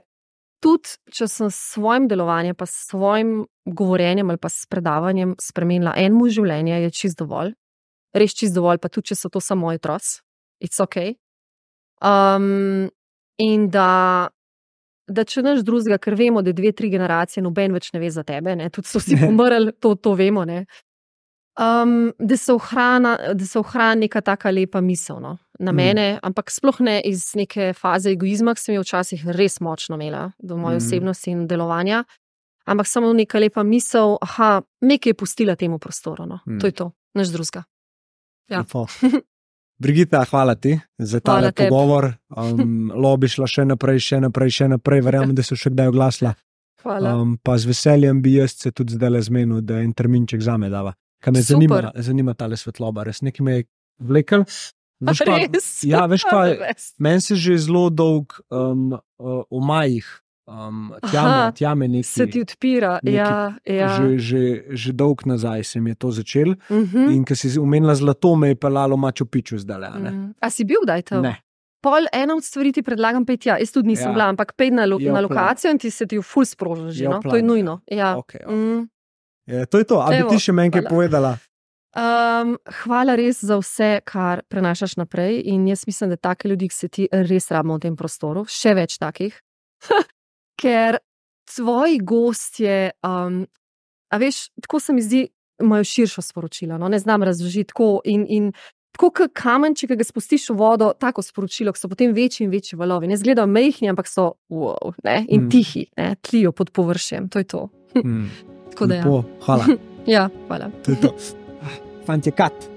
tudi, če sem s svojim delovanjem, pa s svojim govorjenjem ali pa s predavanjem spremenila enemu življenje, je čist dovolj. Res čist dovolj, pa tudi, če so to samo moji otroci. It's okay. In da če nič drugega, ker vemo, da 2-3 generacije noben več ne ve za tebe, ne, tudi so vsi pomrli, to vemo, ne. Da se ohrani neka taka lepa misel, no, na mene, ampak sploh ne iz neke faze egoizma, ki sem jo včasih res močno imela do moje osebnosti in delovanja, ampak samo neka lepa misel, nekaj je pustila temu prostoru, no. To je to, nič drugega. Ja. Brigita, hvala ti za tale pogovor. Bi šla še naprej, verjamem, da so še kdaj oglasila. Hvala. Pa z veseljem bi jaz se tudi zdaj zmenil, da en terminček zame dava. Kaj me zanima tale svetloba, res nekaj me je vlekel. Res? Ja, veš kaj, meni se že zelo dolg v majih, tjame neki. Se ti odpira, ja. Že dolg nazaj se mi je to začel. In ko si omenila zlato, me je pelalo Machu Picchu zdaj. A si bil kdaj tam? Ne. Pol ena od stvari ti predlagam pejti, jaz tudi nisem bila, ampak pej na lokacijo in ti se ti ful sprožil že, no? To je nujno. Ja. Okay. To je to, a bi ti še meni kaj povedala? Hvala res za vse, kar prenašaš naprej in jaz mislim, da take ljudi, ki se ti res rabimo v tem prostoru, še več takih, ker tvoji gostje, a veš, tako se mi zdi, imajo širšo sporočilo, no, ne znam razložiti tako in tako kot kamenček, ki ga spustiš v vodo, tako sporočilo, ki so potem večji in večji valovi, ne izgledajo majhni, ampak so wow, ne, in tihi, ne, tlijo pod površjem, to je to. Tako da ja. Hvala. Ja, hvala. To je to. Fantje, kat.